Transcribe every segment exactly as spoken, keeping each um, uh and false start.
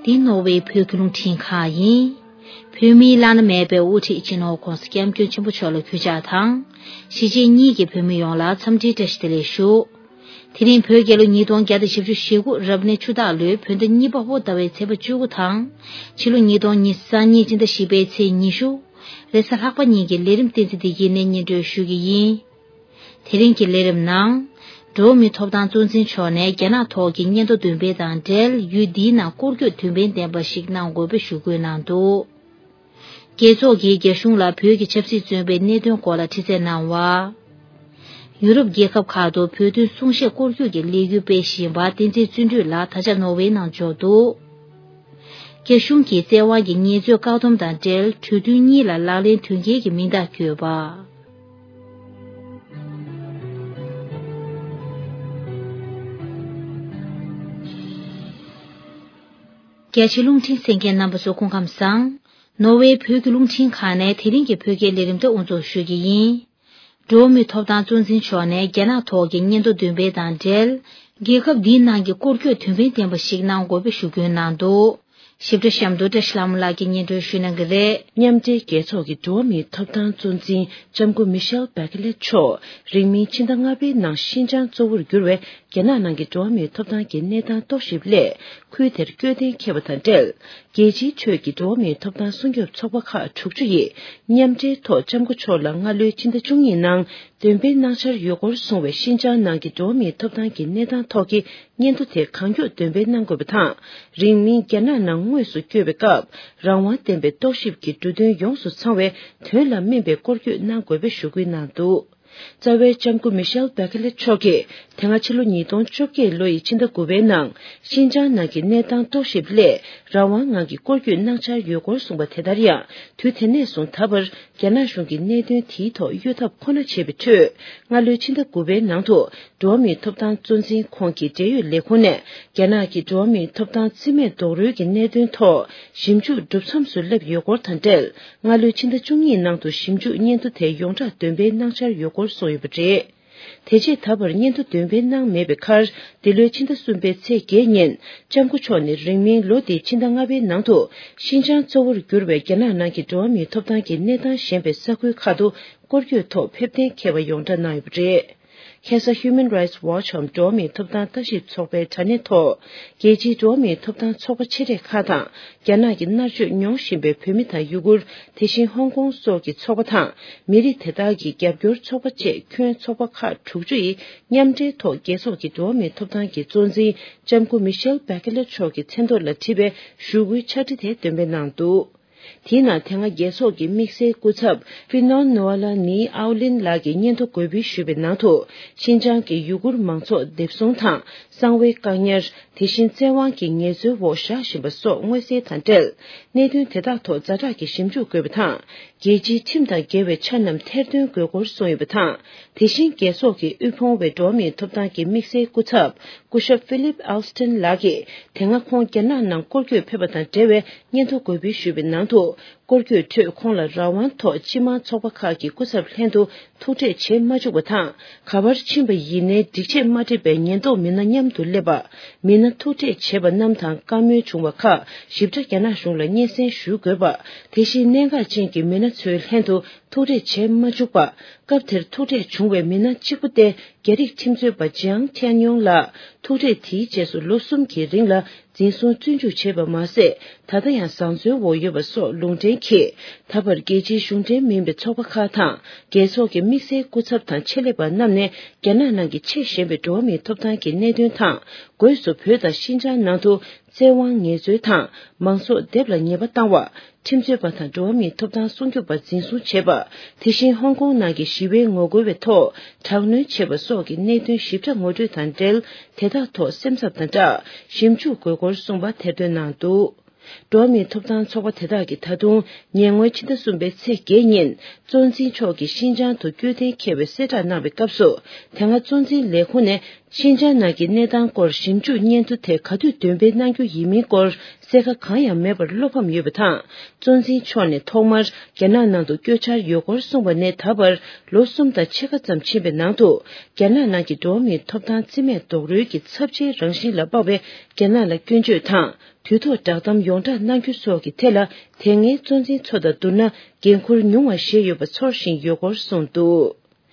འདི་ནོར་ཝེ་བོད་ཀྱི་རླུང་འཕྲིན་ཁང་ཡིན། བོད་མིའི་བླ་ན་མེད་པའི་དབུ་ཁྲིད་སྤྱི་ནོར་༧གོང་ས་༧སྐྱབས་མགོན་ཆེན་པོ་མཆོག་ལ་གུས་ཕྱག་དང་། གཞིས་བྱེས་གཉིས་ཀྱི་བོད་མི་ཡོངས་ལ་འཚམས་འདྲིའི་བཀྲ་ཤིས་བདེ་ལེགས་ཞུ། དེ་རིང་བོད་རྒྱལ་ལོ་ཉིས་སྟོང་བརྒྱ་དང་བཞི་བཅུ་ཞེ་དགུ་རབ་གནས་ཆུ་སྟག་ལོའི་བོད་ཟླ་གཉིས་པ་པོ་ཟླ་བའི་ཚེས་པ་བཅུ་དགུ་དང་། ཕྱི་ལོ་ཉིས་སྟོང་ཉི་ཤུ་རྩ་གཉིས་སྤྱི་ཟླ་བཞི་པའི་ཚེས་ཉི་ཤུ། རེས་གཟའ་ལྷག་པ་ཉིན་གྱི་ལས་རིམ་བསྟན་འཛིན་བདེ་སྐྱིད་ནས་སྙན་སྒྲོན་ཞུ་གི་ཡིན། དེ་རིང་གི་ལས་རིམ་ནང་། འགྲོ་བ་མིའི་ཐོབ་ཐང་གཙོ་འཛིན་མཆོག་ནས་རྒྱ་ནག་ཐོག་གི་སྙན་ཐོ་འདོན་སྤེལ་དང་འབྲེལ་ཡུལ་འདིའི་ནང་སྐོར་སྐྱོད་འདོན་སྤེལ་ལྡན་པ་ཞིག་གནང་དགོས་པའི་ཞུ་སྐུལ་གནང་འདུག། རྒྱལ་ཚོགས་ཀྱིས་རྒྱ་གཞུང་ལ་བོད་ཀྱི་ཆབ་སྲིད་བཙོན་པའི་གནད་དོན་སྐོར་ལ་དྲི་རྩད་གནང་བ། ཡུ་རོབ་རྒྱལ་ཁབ་ཁག་ཏུ་བོད་དོན་གསུང་བཤད་སྐོར་སྐྱོད་ཀྱི་ལས་འགུལ་སྤེལ་བཞིན་པ་བསྟན་འཛིན་བརྩོན་འགྲུས་ལགས་ད་ཆ་ནོར་ཝེའི་ནང་འབྱོར་འདུག། རྒྱ་གཞུང་གིས་བཙན་དབང་གིས་ངལ་རྩོལ་བཀག་སྡོམ་དང་འབྲེལ་གྲོས་མཐུན་གཉིས་ལ་ལག་ལེན་དོན་འཁེལ་གྱི་མིང་རྟགས་བཀོད་པ། རྒྱ་ཆེའི་རླུང་འཕྲིན་གསན་མཁན་རྣམ་པ་ཚོ་སྐུ་ཁམས་བཟང་། ནོར་ཝེའི་བོད་ཀྱི་རླུང་འཕྲིན་ཁང་ནས་དེ་རིང་གི་བོད་སྐད་ལས་རིམ་དེ་དབུ་འཛུགས་ཞུ་གི་ཡིན། འགྲོ་བ་མིའི་ཐོབ་ཐང་གཙོ་འཛིན་མཆོག་ནས་རྒྱ་ནག་ཐོག་གི་སྙན་ཐོ་འདོན་སྤེལ་དང་འབྲེལ། རྒྱལ་ཁབ་འདིའི་ནང་གི་སྐོར་སྐྱོད་དོན་ཕན་ལྡན་པ་ཞིག་གནང་དགོས་པའི་ཞུ་སྐུལ་གནང་འདུག། ཞིབ་ཕྲ་གཤམ་དུ་བཀྲ་ཤིས་ལྷ་མོ་ལགས་ཀྱིས་སྙན་སྒྲོན་ཞུ་གནང་གི་རེད། མཉམ་འབྲེལ་རྒྱལ་ཚོགས་ཀྱི་འགྲོ་བ་མིའི་ཐོབ་ཐང་གཙོ་འཛིན་ལྕམ་སྐུ་མི་ཤེལ་བྷེ་ཁེ་ལེ་མཆོག་རིང་མིན་ཕྱི་ཟླ་ལྔ་པའི་ནང་ཤིན་ཅང་གཙོ་བོར་གྱུར་བའི་རྒྱ་ནག་ནང་གི་འགྲོ་བ་མིའི་ཐོབ་ཐང་གི་གནས་སྟངས་རྟོག་ཞིབ་སླད་ཁུལ་དེར་བསྐྱོད་གཏན་འཁེལ་བ་དང་འབྲེལ། རྒྱལ་སྤྱིའི་ཁྲོད་ཀྱི་འགྲོ་བ་མིའི་ཐོབ་ཐང་སྲུང་སྐྱོབ་ཚོགས་པ་ཁག་དྲུག་ཅུ་ཡིས་མཉམ་འབྲེལ་ཐོག་ལྕམ་སྐུ་མཆོག་ལ་སྔ་ལོའི་ཕྱི་ཟླ་བཅུ་གཉིས་ནང་འདོན་སྤེལ་གནང་འཆར་ཡོད་སྐོར་གསུངས་པའི་ཤིན་ཅང་ནང་གི་འགྲོ་བ་མིའི་ཐོབ་ཐང་གི་གནས་སྟངས་ཐོག་གི་སྙན་ཐོ་དེ་གང་མགྱོགས་འདོན་སྤེལ་གནང་དགོས་པ་དང་། རིང་མིན་རྒྱ་ནག་ནང་དངོས་སུ་བསྐྱོད་པའི་སྐབས་རང་དབང་ལྡན་པའི་རྟོག་ཞིབ་ཀྱི་འབྲུ་དོན་ཡོངས་སུ་ཚང་བའི་དོན་ལ་སྨིན་པའི་སྐོར་སྐྱོད་གནང་དགོས་པའི་ཞུ་སྐུལ་གནང་འདུག། རྩ་བའི་ལྕམ་སྐུ་མི་ཤེལ་བྷེ་ཁེ་ལེ་མཆོག་གིས་དེ་སྔ་ཕྱི་ལོ་ཉིས་སྟོང་བཅོ་བརྒྱད་ལོ་ཡི་ཕྱི་ཟླ་དགུ་པའི་ནང་ཤིན་ཅང་ནང་གི་གནས་སྟངས་རྟོག་ཞིབ་སླད་རང་དབང་ངང་གིས་སྐོར་སྐྱོད་གནང་འཆར་ཡོད་སྐོར་གསུངས་པ་དེ་ལྟར་ཡང་དུས་དེ་ནས་བཟུང་ད་བར་རྒྱ་ནག་གཞུང་གིས་གནད་དོན་དེའི་ཐོག་གཡོལ་ཐབས་ཁོ་ན་བྱས་པའི་ཁྲོད་སྔ་ལོའི་ཕྱི་ཟླ་དགུ་པའི་ནང་དུ་འགྲོ་བ་མིའི་ཐོབ་ཐང་གཙོ་འཛིན་ཁོང་གི་འབྲེལ་ཡོད་ལས་ཁུངས་ནས་རྒྱ་ནག་གི་འགྲོ་བ་མིའི་ཐོབ་ཐང་རྩིས་མེད་རྡོག་རོལ་གྱི་གནད་དོན་ཐོག་ཞིབ་འཇུག་གྲུབ་མཚམས་སུ་སླེབས་ཡོད་སྐོར་དང་འབྲེལ། སྔ་ལོའི་ཕྱི་ཟླ་བཅུ་གཉིས་ནང་དུ་ཞིབ་འཇུག་སྙན་ཐོ་དེ་ཡོངས་གྲགས་འདོན་སྤེལ་གནང་འཆར་ཡོད་སྐོར་གསུངས་ཡོད་པ་རེད། དེ་རྗེས་ད་བར་སྙན་ཐོ་འདོན་སྤེལ་གནང་མེད་པའི་ཁར། འདི་ལོའི་ཕྱི་ཟླ་གསུམ་པའི་ཚེས་བརྒྱད་ཉིན་ལྕམ་སྐུ་མཆོག་ནས་རིང་མིན་ལོ་འདིའི་ཕྱི་ཟླ་ལྔ་པའི་ནང་དུ་ཤིན་ཅང་གཙོ་བོར་གྱུར་བའི་རྒྱ་ནག་ནང་གི་འགྲོ་བ་མིའི་ཐོབ་ཐང་གི་གནས་སྟངས་ཞན་པའི་ས་ཁུལ་ཁག་ཏུ་སྐོར་སྐྱོད་ཐོག་ཕེབས་གཏན་འཁེལ་བ་ཡོངས་གྲགས་གནང་ཡོད་པ་རེད། ཁ་སང་Human Rights Watch འམ་འགྲོ་བ་མིའི་ཐོབ་ཐང་ལྟ་ཞིབ་ཚོགས་པའི་དྲ་གནས་ཐོག་རྒྱལ་སྤྱིའི་འགྲོ་བ་མིའི་ཐོབ་ཐང་ཚོགས་པ་ཆེ་གྲས་ཁག་དང་རྒྱ་ནག་གི་མནར་གཅོད་མྱོང་བཞིན་པའི་བོད་མི་དང་ཡུ་གུར། དེ་བཞིན་ཧོང་ཀོང་སོགས་ཀྱི་ཚོགས་པ་དང་། མི་རིགས་དེ་དག་གི་རྒྱབ་སྐྱོར་ཚོགས་པ་བཅས་ཁྱོན་ཚོགས་པ་ཁག་དྲུག་ཅུ་ཡིས་མཉམ་འབྲེལ་ཐོག་རྒྱལ་ཚོགས་ཀྱི་འགྲོ་བ་མིའི་ཐོབ་ཐང་གི་གཙོ་འཛིན་ལྕམ་སྐུ་མི་ཤེལ་བྷེ་ཁེ་ལེ་མཆོག་གི་མཚན་ཐོག་ལ་བྲིས་པའི་ཞུ་སྐུལ་ཕྱག་བྲིས་དེ་འདོན་སྤེལ་གནང་འདུག། དེའི་ནང་དེ་སྔ་རྒྱལ་ཚོགས་ཀྱི་དམིགས་བསལ་སྐུ་ཚབ་ཧྥི་ནོན་ནོ་ཨ་ལ་ནི་ཨའོ་ལིན་ལགས་ཀྱིས་སྙན་ཐོ་འགོད་འབུལ་ཞུས་པའི་ནང་དུ། ཤིན་ཅང་གི་ཡུ་གུར་མང་ཚོགས་སྡེབ་བཟུང་དང་གསང་བའི་བཀག་ཉར། དེ་བཞིན་བཙན་དབང་གིས་ངལ་རྩོལ་འོག་བཞག་བཞིན་པ་སོགས་མངོན་གསལ་དང་འབྲེལ། གནད་དོན་དེ་དག་ཐོག་ཛ་དྲག་གི་ཞིབ་འཇུག་དགོས་པ་དང་། རྒྱལ་སྤྱིའི་ཁྲིམས་དང་འགལ་བའི་ཆ་རྣམས་ཐེར་འདོན་དགོས་སྐོར་གསུངས་ཡོད་པ་དང་། དེ་བཞིན་རྒྱལ་ཚོགས་ཀྱི་དབུལ་ཕོངས་བའི་འགྲོ་བ་མིའི་ཐོབ་ཐང་གི་དམིགས་བསལ་སྐུ་ཚབ་སྐུ་ཞབས་ཕི་ལིབ་ཨལ་སི་ཏན་ལགས་ཀྱིས་དེ་སྔ་ཁོང་རྒྱ་ནག་ནང་སྐོར་སྐྱོད་ཕེབས་པ་དང་འབྲེལ་བའི་སྙན་ཐོ་འགོད་འབུལ་ཞུས་པའི་ནང་དུ། སྐོར་སྐྱོད་ཁྲོད་ཁོང་ལ་རང་དབང་ཐོག་སྤྱི་དམངས་ཚོགས་པ་ཁག་གི་སྐུ་ཚབ་ལྷན་དུ་ཐུག་འཕྲད་བྱེད་མ་བཅུག་པ་དང་། ག་པར་ཕྱིན་པ་ཡིན་ནའི་སྒྲིག་ཆས་མ་འགྲིག་པའི་ཉེན་རྟོག་མི་སྣ་མཉམ་དུ་སླེབས་པ། མི་སྣ་ཐུག་འཕྲད་བྱས་པ་རྣམས་དང་བཀའ་མོལ་བྱུང་བ་ཁག་ཞིབ་ཕྲ་རྒྱ་ནག་གཞུང་ལ་སྙན་སེང་ཞུ་དགོས་པ། དེ་བཞིན་གནད་འགག་ཅན་གྱི་མི་སྣ་ཚོའི་ལྷན་དུ་ཐུག་འཕྲད་བྱས་མ་བཅུག་པ། སྐབས་དེར་ཐུག་འཕྲད་བྱུང་བའི་མི་སྣ་གཅིག་པུ་སྟེ། རྒྱ་རིགས་ཁྲིམས་རྩོད་པ་ཅིའང་ཐན་ཡོང་ལགས། ཐུག་འཕྲད་དེའི་རྗེས་སུ་ལོ་གསུམ་གྱི་རིང་ལ་འཛིན་བཟུང་བཙོན་འཇུག་བྱས་པ་མ་ཟད། ད་ལྟ་ཡང་བཟང་བཙོན་འོག་ཡོད་པ་སོགས་ལུང་འདྲེན་གྱིས། ད་བར་རྒྱལ་སྤྱིའི་གཞུང་འབྲེལ་མིན་པའི་ཚོགས་པ་ཁག་དང་། རྒྱལ་ཚོགས་ཀྱི་དམིགས་བསལ་སྐུ་ཚབ་དང་ཆེད་ལས་པ་རྣམས་ནས། རྒྱ་ནག་ནང་གི་ཆེས་ཞན་པའི་འགྲོ་བ་མིའི་ཐོབ་ཐང་གི་གནད་དོན་དང་། སྒོས་སུ་བོད་དང་ཤིན་ཅང་ནང་དུ། བཙན་དབང་ངལ་རྩོལ་དང་། མང་ཚོགས་སྡེབ་ལ་ཉེས་པ་བཏང་བ། ཁྲིམས་རྩོད་པ་དང་འགྲོ་བ་མིའི་ཐོབ་ཐང་སྲུང་སྐྱོབ་པ་འཛིན་བཟུང་བྱས་པ། དེ་བཞིན་ཧོང་ཀོང་ནང་གི་ཞི་བའི་ངོ་རྒོལ་བའི་ཐོག་དྲག་གནོན་བྱས་པ་སོགས་ཀྱི་གནད་དོན་ཞིབ་ཕྲ་ངོ་སྤྲོད་དང་འབྲེལ། དེ་དག་ཐོག་སེམས་འཚབ་དང་སྦྲགས། ཞིབ་འཇུག་དགོས་སྐོར་གསུངས་པ་ཐེར་འདོན་གནང་འདུག། འགྲོ་བ་མིའི་ཐོབ་ཐང་ཚོགས་པ་དེ་དག་གིས་ད་དུང་ཉེ་སྔོན་ཕྱི་ཟླ་གསུམ་པའི་ཚེས་བརྒྱད་ཉིན། གཙོ་འཛིན་མཆོག་གིས་ཤིན་ཅང་དུ་བསྐྱོད་གཏན་འཁེལ་བའི་གསལ་བསྒྲགས་གནང་བའི་སྐབས་སུ། དེ་སྔ་གཙོ་འཛིན་ལས་ཁུངས་ནས། ཤིན་ཅང་ནང་གི་གནས་སྟངས་སྐོར་ཞིབ་འཇུག་སྙན་ཐོ་དེ་ག་དུས་འདོན་སྤེལ་གནང་རྒྱུ་ཡིན་མིན་སྐོར། རྩེད་ཁ་གང་ཡང་མེད་པར་བློ་ཕམ་ཡོད་པ་དང་། གཙོ་འཛིན་མཆོག་ནས་ཐོག་མར་རྒྱ་ནག་ནང་དུ་བསྐྱོད་འཆར་ཡོད་སྐོར་གསུངས་པ་ནས་ད་བར་ལོ་གསུམ་དང་ཕྱེད་ཀ་ཙམ་ཕྱིན་པའི་ནང་དུ། རྒྱ་ནག་ནང་གི་འགྲོ་བ་མིའི་ཐོབ་ཐང་རྩིས་མེད་རྡོག་རོལ་གྱི་ཚབས་ཆེའི་རང་བཞིན་ལ་དཔག་པའི་རྒྱ་ནག་ལ་སྐྱོན་བརྗོད་དང་། དུས་ཐོག་བསྒྲགས་གཏམ་ཡོངས་བསྒྲགས་གནང་རྒྱུ་སོགས་ཀྱི་ཐད་ལ། དེ་སྔའི་གཙོ་འཛིན་ཚོ་དང་བསྡུར་ན། འགན་འཁུར་ཉུང་བ་བཞེས་ཡོད་པ་ཚོར་བཞིན་ཡོད་སྐོར་གསུངས་འདུག།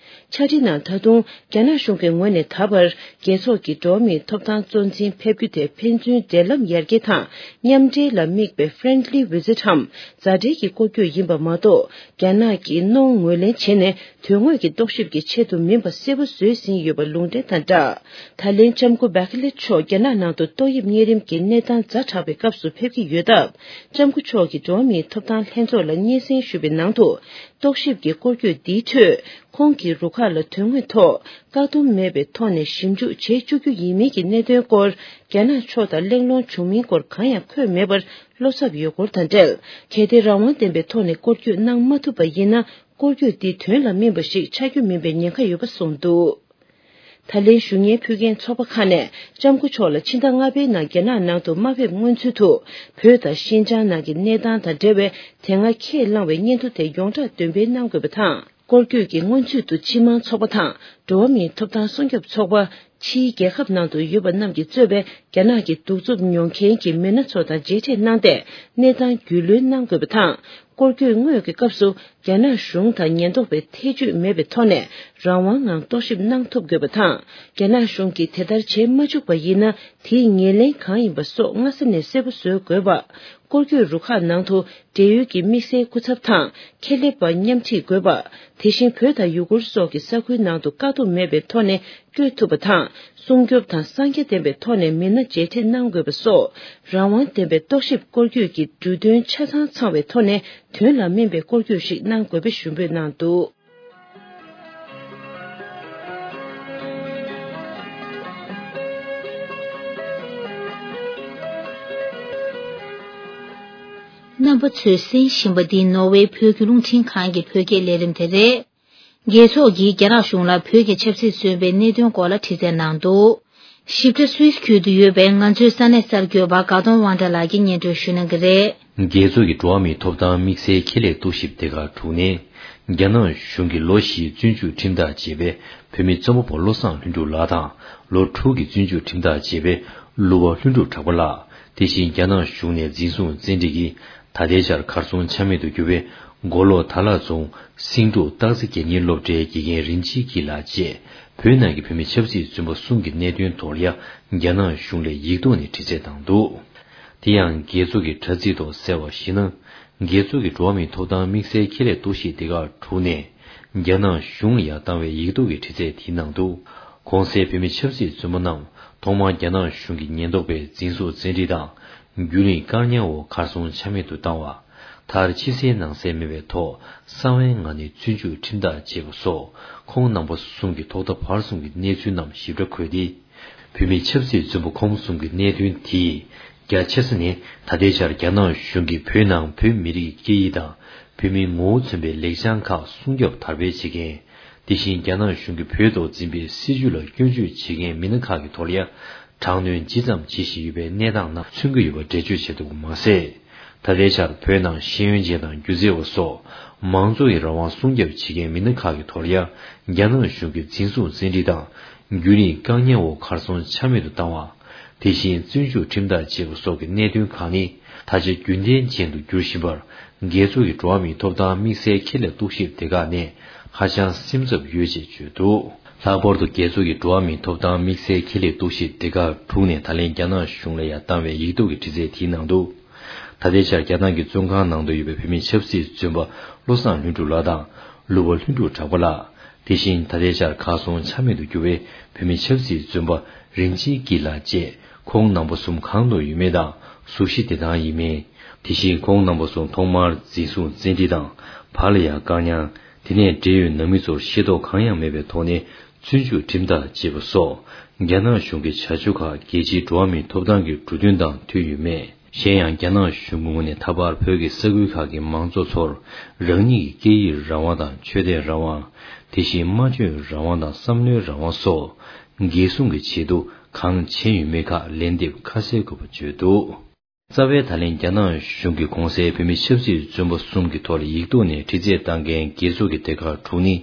ཕྱག་བྲིས་ནང་ད་དུང་རྒྱ་ནག་གཞུང་གི་ངོས་ནས་ད་བར་རྒྱལ་ཚོགས་ཀྱི་འགྲོ་བ་མིའི་ཐོབ་ཐང་གཙོ་འཛིན་ཕེབས་རྒྱུ་དེ་ཕན་ཚུན་འབྲེལ་ལམ་ཡར་རྒྱས་དང་མཉམ་འབྲེལ་ལ་དམིགས་པའི་friendly visit་འམ་མཛའ་འབྲེལ་གྱི་སྐོར་སྐྱོད་ཡིན་པ་མ་གཏོགས། རྒྱ་ནག་གིས་གནོང་ངོས་ལེན་བྱས་ནས་དོན་དངོས་ཀྱི་རྟོག་ཞིབ་ཀྱི་ཆེད་དུ་མིན་པ་གསལ་པོ་བཟོས་ཟིན་ཡོད་པ་ལུང་འདྲེན་དང་སྦྲགས། ད་ལན་ལྕམ་སྐུ་བྷེ་ཁེ་ལེ་མཆོག་རྒྱ་ནག་ནང་དུ་ཏོག་དབྱིབས་གཉན་རིམས་ཀྱི་གནས་སྟངས་ཛ་དྲག་པའི་སྐབས་སུ་ཕེབས་ཀྱི་ཡོད་སྟབས། ལྕམ་སྐུ་མཆོག་གིས་འགྲོ་བ་མིའི་ཐོབ་ཐང་ལྷན་ཚོགས་ལ་སྙན་སེང་ཞུས་པའི་ནང་དུ། རྟོག་ཞིབ་ཀྱི་སྐོར་སྐྱོད་འདིའི་ཁྲོད། ཁོང་གི་རུ་ཁག་ལ་དོན་དངོས་ཐོག་བཀག་སྡོམ་མེད་པའི་ཐོག་ནས་ཞིབ་འཇུག་བྱེད་བཅུག་རྒྱུ་ཡིན་མིན་གྱི་གནད་དོན་སྐོར། རྒྱ་ནག་ཕྱོགས་དང་གླེང་སློང་བྱུང་མིན་སྐོར་གང་ཡང་འཁོད་མེད་པར་བློ་འཚབ་ཡོད་སྐོར་དང་འབྲེལ། གལ་ཏེ་རང་དབང་ལྡན་པའི་ཐོག་ནས་སྐོར་སྐྱོད་གནང་མ་ཐུབ་པ་ཡིན་ན། སྐོར་སྐྱོད་འདི་དོན་ལ་སྨིན་པ་ཞིག་ཆགས་རྒྱུ་མིན་པའི་ཉེན་ཁ་ཡོད་པ་གསུངས་འདུག། ད་ལན་ཞུ་སྙན་ཕུལ་མཁན་ཚོགས་པ་ཁག་ནས་ལྕམ་སྐུ་མཆོག་ལ་ཕྱི་ཟླ་ལྔ་པའི་ནང་རྒྱ་ནག་ནང་དུ་མ་ཕེབས་སྔོན་ཚུད་དུ། བོད་དང་ཤིན་ཅང་ནང་གི་གནས་སྟངས་དང་འབྲེལ་བའི་དེ་སྔ་ཁས་བླངས་པའི་སྙན་ཐོ་དེ་ཡོངས་གྲགས་འདོན་སྤེལ་གནང་དགོས་པ་དང་། སྐོར་སྐྱོད་ཀྱི་སྔོན་ཚུད་དུ་སྤྱི་དམངས་ཚོགས་པ་དང་འགྲོ་བ་མིའི་ཐོབ་ཐང་སྲུང་སྐྱོབ་ཚོགས་པ། ཕྱིའི་རྒྱལ་ཁབ་ནང་དུ་ཡོད་པ་རྣམས་ཀྱིས་གཙོས་པའི་རྒྱ་ནག་གི་གདུག་རྩུབ་མྱོང་མཁན་གྱི་མི་སྣ་ཚོ་དང་མཇལ་འཕྲད་གནང་སྟེ། གནས་སྟངས་རྒྱུས་ལོན་གནང་དགོས་པ་དང་། སྐོར་སྐྱོད་དངོས་ཀྱི་སྐབས་སུ། རྒྱ་ནག་གཞུང་དང་ཉེན་རྟོག་པའི་ཐེ་བྱུས་མེད་པའི་ཐོག་ནས་རང་དབང་ངང་རྟོག་ཞིབ་གནང་ཐུབ་དགོས་པ་དང་། རྒྱ་ནག་གཞུང་གིས་དེ་ལྟར་བྱེད་མ་བཅུག་པ་ཡིན་ན། དེའི་ངོས་ལེན་གང་ཡིན་པ་སོགས་སྔ་ས་ནས་གསལ་པོ་བཟོ་དགོས་པ། སྐོར་སྐྱོད་རུ་ཁག་ནང་དུ་འབྲེལ་ཡོད་ཀྱི་དམིགས་བསལ་སྐུ་ཚབ་དང་ཁྱད་ལས་པ་མཉམ་ཁྲིད་དགོས་པ། དེ་བཞིན་བོད་དང་ཡུ་གུར་སོགས་ཀྱི་ས་ཁུལ་ནང་དུ་བཀག་སྡོམ་མེད་པའི་ཐོག་ནས་བསྐྱོད་ཐུབ་པ་དང་། སྲུང་སྐྱོབ་དང་གསང་རྒྱ་ལྡན་པའི་ཐོག་ནས་མི་སྣ་མཇལ་འཕྲད་གནང་དགོས་པ་སོགས། རང་དབང་ལྡན་པའི་རྟོག་ཞིབ་སྐོར་སྐྱོད་ཀྱི་འབྲུ་དོན་ཆ་ཚང་ཚང་བའི་ཐོག་ནས་དོན་ལ་སྨིན་པའི་སྐོར་སྐྱོད་ཞིག་གནང་དགོས་པའི་ཞུ་འབོད་གནང་འདུག། རྣམ་པ་ཚོས་གསན་བཞིན་པ་འདི་ནོར་ཝེ་བོད་ཀྱི་རླུང་འཕྲིན་ཁང་གི་བོད་སྐད་ལས་རིམ་དེ་རེད། རྒྱལ་ཚོགས་ཀྱིས་རྒྱ་ནག་གཞུང་ལ་བོད་ཀྱི་ཆབ་སྲིད་བཙོན་པའི་གནད་དོན་སྐོར་ལ་དྲི་རྩད་གནང་འདུག། ཞིབ་ཕྲ་སུད་སི་ཁུལ་དུ་ཡོད་པའི་ང་ཚོའི་ས་གནས་གསར་འགོད་པ་དགའ་གདོང་དབང་གྲགས་ལགས་ཀྱིས་སྙན་སྒྲོན་ཞུ་གནང་གི་རེད། རྒྱལ་ཚོགས་ཀྱི་འགྲོ་བ་མིའི་ཐོབ་ཐང་དམིགས་བསལ་ཁྱད་ལས་རྟོག་ཞིབ་སྡེ་ཁག་དྲུག་ནས། རྒྱ་ནག་གཞུང་གིས་ལོ་བཞིའི་བཙོན་འཇུག་ཁྲིམས་ཐག་བཅད་པའི་བོད་མི་རྩོམ་པ་པོ་བློ་བཟང་ལྷུན་གྲུབ་ལགས་དང་། ལོ་དྲུག་གི་བཙོན་འཇུག་ཁྲིམས་ཐག་བཅད་པའི་གླུ་བ་ལྷུན་གྲུབ་གྲགས་པ་ལགས། དེ་བཞིན་རྒྱ་ནག་གཞུང་ནས་འཛིན་བཟུང་བཙན་ཁྲིད་ཀྱིས། ད་ལྟའི་ཆར་གར་སོང་ཆ་མེད་དུ་གྱུར་བའི་མགོ་ལོག་དར་ལག་རྫོང་སེང་འབྲུག་སྟག་རྩེ་རྒྱལ་གཉེར་སློབ་གྲྭའི་དགེ་རྒན་རིན་ཆེན་སྐྱིད་ལགས་བཅས་བོད་ནང་གི་བོད་མི་ཆབ་སྲིད་བཙོན་པ་གསུམ་གྱི་གནད་དོན་ཐོག་ལ་ཡང་རྒྱ་ནག་གཞུང་ལ་ཡིག་ཐོག་ནས་དྲི་རྩད་བཏང་འདུག། དེ་ཡང་རྒྱལ་ཚོགས་ཀྱི་དྲ་ཚིགས་ཐོག་གསལ་བར་གཞིགས་ན། རྒྱལ་ཚོགས་ཀྱི་འགྲོ་བ་མིའི་ཐོབ་ཐང་དམིགས་བསལ་ཁྱད་ལས་རྟོག་ཞིབ་སྡེ་ཁག་དྲུག་ནས་རྒྱ་ནག་གཞུང་ལ་ཡང་བཏང་བའི་ཡིག་ཐོག་གི་དྲི་རྩད་དེའི་ནང་དུ། གོང་གསལ་བོད་མི་ཆབ་སྲིད་བཙོན་པ་རྣམས་ཐོག་མར་རྒྱ་ནག་གཞུང་གི་ཉེན་རྟོག་པས་འཛིན་བཟུང་བཙན་ཁྲིད་དང་། རྒྱུན་རིང་བཀག་ཉར་འོག་གར་སོང་ཆ་མེད་དུ་བཏང་བ། མཐར་ཕྱི་གསལ་ནང་གསལ་མེད་པའི་ཐོག་གསང་བའི་ངང་ནས་བཙོན་འཇུག་ཁྲིམས་ཐག་བཅད་པ་སོགས་ཁོང་རྣམ་པ་གསུམ་གྱི་ཐོག་མཐའ་བར་གསུམ་གྱི་གནས་ཚུལ་རྣམས་ཞིབ་ཕྲ་འཁོད་དེ། བོད་མི་ཆབ་སྲིད་བཙོན་པ་ཁོང་གསུམ་གྱི་གནད་དོན་དེས་རྒྱ་ཆེ་ས་ནས་ད་ལྟའི་ཆར་རྒྱ་ནག་གཞུང་གིས་བོད་ནང་བོད་མི་རིགས་ཀྱི་སྐད་ཡིག་དང་བོད་མིའི་ངོ་བོ་མཚོན་པའི་ལེགས་བྱང་ཁག་སྲུང་སྐྱོབ་དར་སྤེལ་བྱེད་མཁན། དེ་བཞིན་རྒྱ་ནག་གཞུང་གིས་བོད་ཐོག་འཛིན་པའི་སྲིད་བྱུས་ལ་སྐྱོན་བརྗོད་བྱེད་མཁན་མི་སྣ་ཁག་གི་ཐོག་ལ་ཡང་དྲག་གནོན་ཇི་ཙམ་བྱེད་བཞིན་ཡོད་པའི་གནས་སྟངས་རྣམས་མཚོན་གྱི་ཡོད་པ་འགྲེལ་བརྗོད་བྱས་འདུག་པ་མ་ཟད། ད་ལྟའི་ཆར་བོད་ནང་ཤེས་ཡོན་ཅན་དང་སྒྱུ་རྩལ་བ་སོགས་མང་གཙོ་ཡི་རང་དབང་སྲུང་སྐྱོབ་བྱེད་མཁན་མི་སྣ་ཁག་གི་ཐོག་ལ་ཡང་རྒྱ་ནག་གཞུང་གིས་འཛིན་བཟུང་བཙན་ཁྲིད་དང་རྒྱུན་རིང་བཀག་ཉར་འོག་གར་སོང་ཆ་མེད་དུ་བཏང་བ། དེ་བཞིན་བཙོན་འཇུག་ཁྲིམས་ཐག་བཅད་པ་སོགས་ཀྱི་གནད་དོན་ཁག་ནི་ད་ཆ་རྒྱུན་ལྡན་ཅན་དུ་འགྱུར་བཞིན་པར། རྒྱལ་ཚོགས་ཀྱི་འགྲོ་བ་མིའི་ཐོབ་ཐང་དམིགས་བསལ་ཁྱད་ལས་རྟོག་ཞིབ་སྡེ་ཁག་ནས་ཧ་ཅང་སེམས་འཚབ་ཡོད་ཅེས་བརྗོད་འདུག། ལྷག་པར་དུ་རྒྱལ་ཚོགས་ཀྱི་འགྲོ་བ་མིའི་ཐོབ་ཐང་དམིགས་བསལ་ཁྱད་ལས་རྟོག་ཞིབ་སྡེ་ཁག་དྲུག་ནས་ད་ལན་རྒྱ་ནག་གཞུང་ལ་ཡང་བཏང་བའི་ཡིག་ཐོག་གི་དྲི་རྩད་དེའི་ནང་དུ། ད་ལྟའི་ཆར་རྒྱ་ནག་གི་བཙོན་ཁང་ནང་དུ་ཡོད་པའི་བོད་མི་ཆབ་སྲིད་བཙོན་པ་བློ་བཟང་ལྷུན་གྲུབ་ལགས་དང་གླུ་བ་ལྷུན་གྲུབ་གྲགས་པ་ལགས། དེ་བཞིན་ད་ལྟའི་ཆར་གར་སོང་ཆ་མེད་དུ་གྱུར་བའི་བོད་མི་ཆབ་སྲིད་བཙོན་པ་རིན་ཆེན་སྐྱིད་ལགས་བཅས་ཁོང་རྣམ་པ་གསུམ་གང་དུ་ཡོད་མེད་དང་གཟུགས་གཞི་བདེ་ཐང་ཡིན་མིན། དེ་བཞིན་ཁོང་རྣམ་པ་གསུམ་ཐོག་མར་འཛིན་བཟུང་བཙན་ཁྲིད་དང་བར་ལ་ཡང་བཀག་ཉར། དེ་ནས་འབྲེལ་ཡོད་ནང་མི་ཚོར་ཤེས་རྟོགས་གང་ཡང་མེད་པའི་ཐོག་ནས་བཙོན་འཇུག་ཁྲིམས་ཐག་བཅད་པ་སོགས་རྒྱ་ནག་གཞུང་གི་བྱ་སྤྱོད་ཁག་རྒྱལ་སྤྱིའི་འགྲོ་བ་མིའི་ཐོབ་ཐང་གི་འབྲུ་དོན་དང་མཐུན་ཡོད་མེད། གཞན་ཡང་རྒྱ་ནག་གཞུང་གི་ངོས་ནས་ད་བར་བོད་ཀྱི་ས་ཁུལ་ཁག་གི་མང་གཙོ་ཚོར་རང་ཉིད་ཀྱི་སྐད་ཡིག་རང་དབང་དང་ཆོས་དད་རང་དབང་། དེ་བཞིན་སྨྲ་བརྗོད་རང་དབང་དང་བསམ་བློའི་རང་དབང་སོགས་འགན་སྲུང་གི་ཆེད་དུ་གང་བྱས་ཡོད་མེད་ཁག་ལན་འདེབས་ཁ་གསལ་དགོས་པ་བརྗོད་འདུག། རྩ་བའི་ད་ལན་རྒྱ་ནག་གཞུང་གིས་གོང་གསལ་བོད་མི་ཆབ་སྲིད་བཙོན་པ་གསུམ་གྱི་ཐོག་ལ་ཡིག་ཐོག་ནས་དྲི་རྩད་བཏང་མཁན་རྒྱལ་ཚོགས་ཀྱི་སྡེ་ཁག་དྲུག་ནི།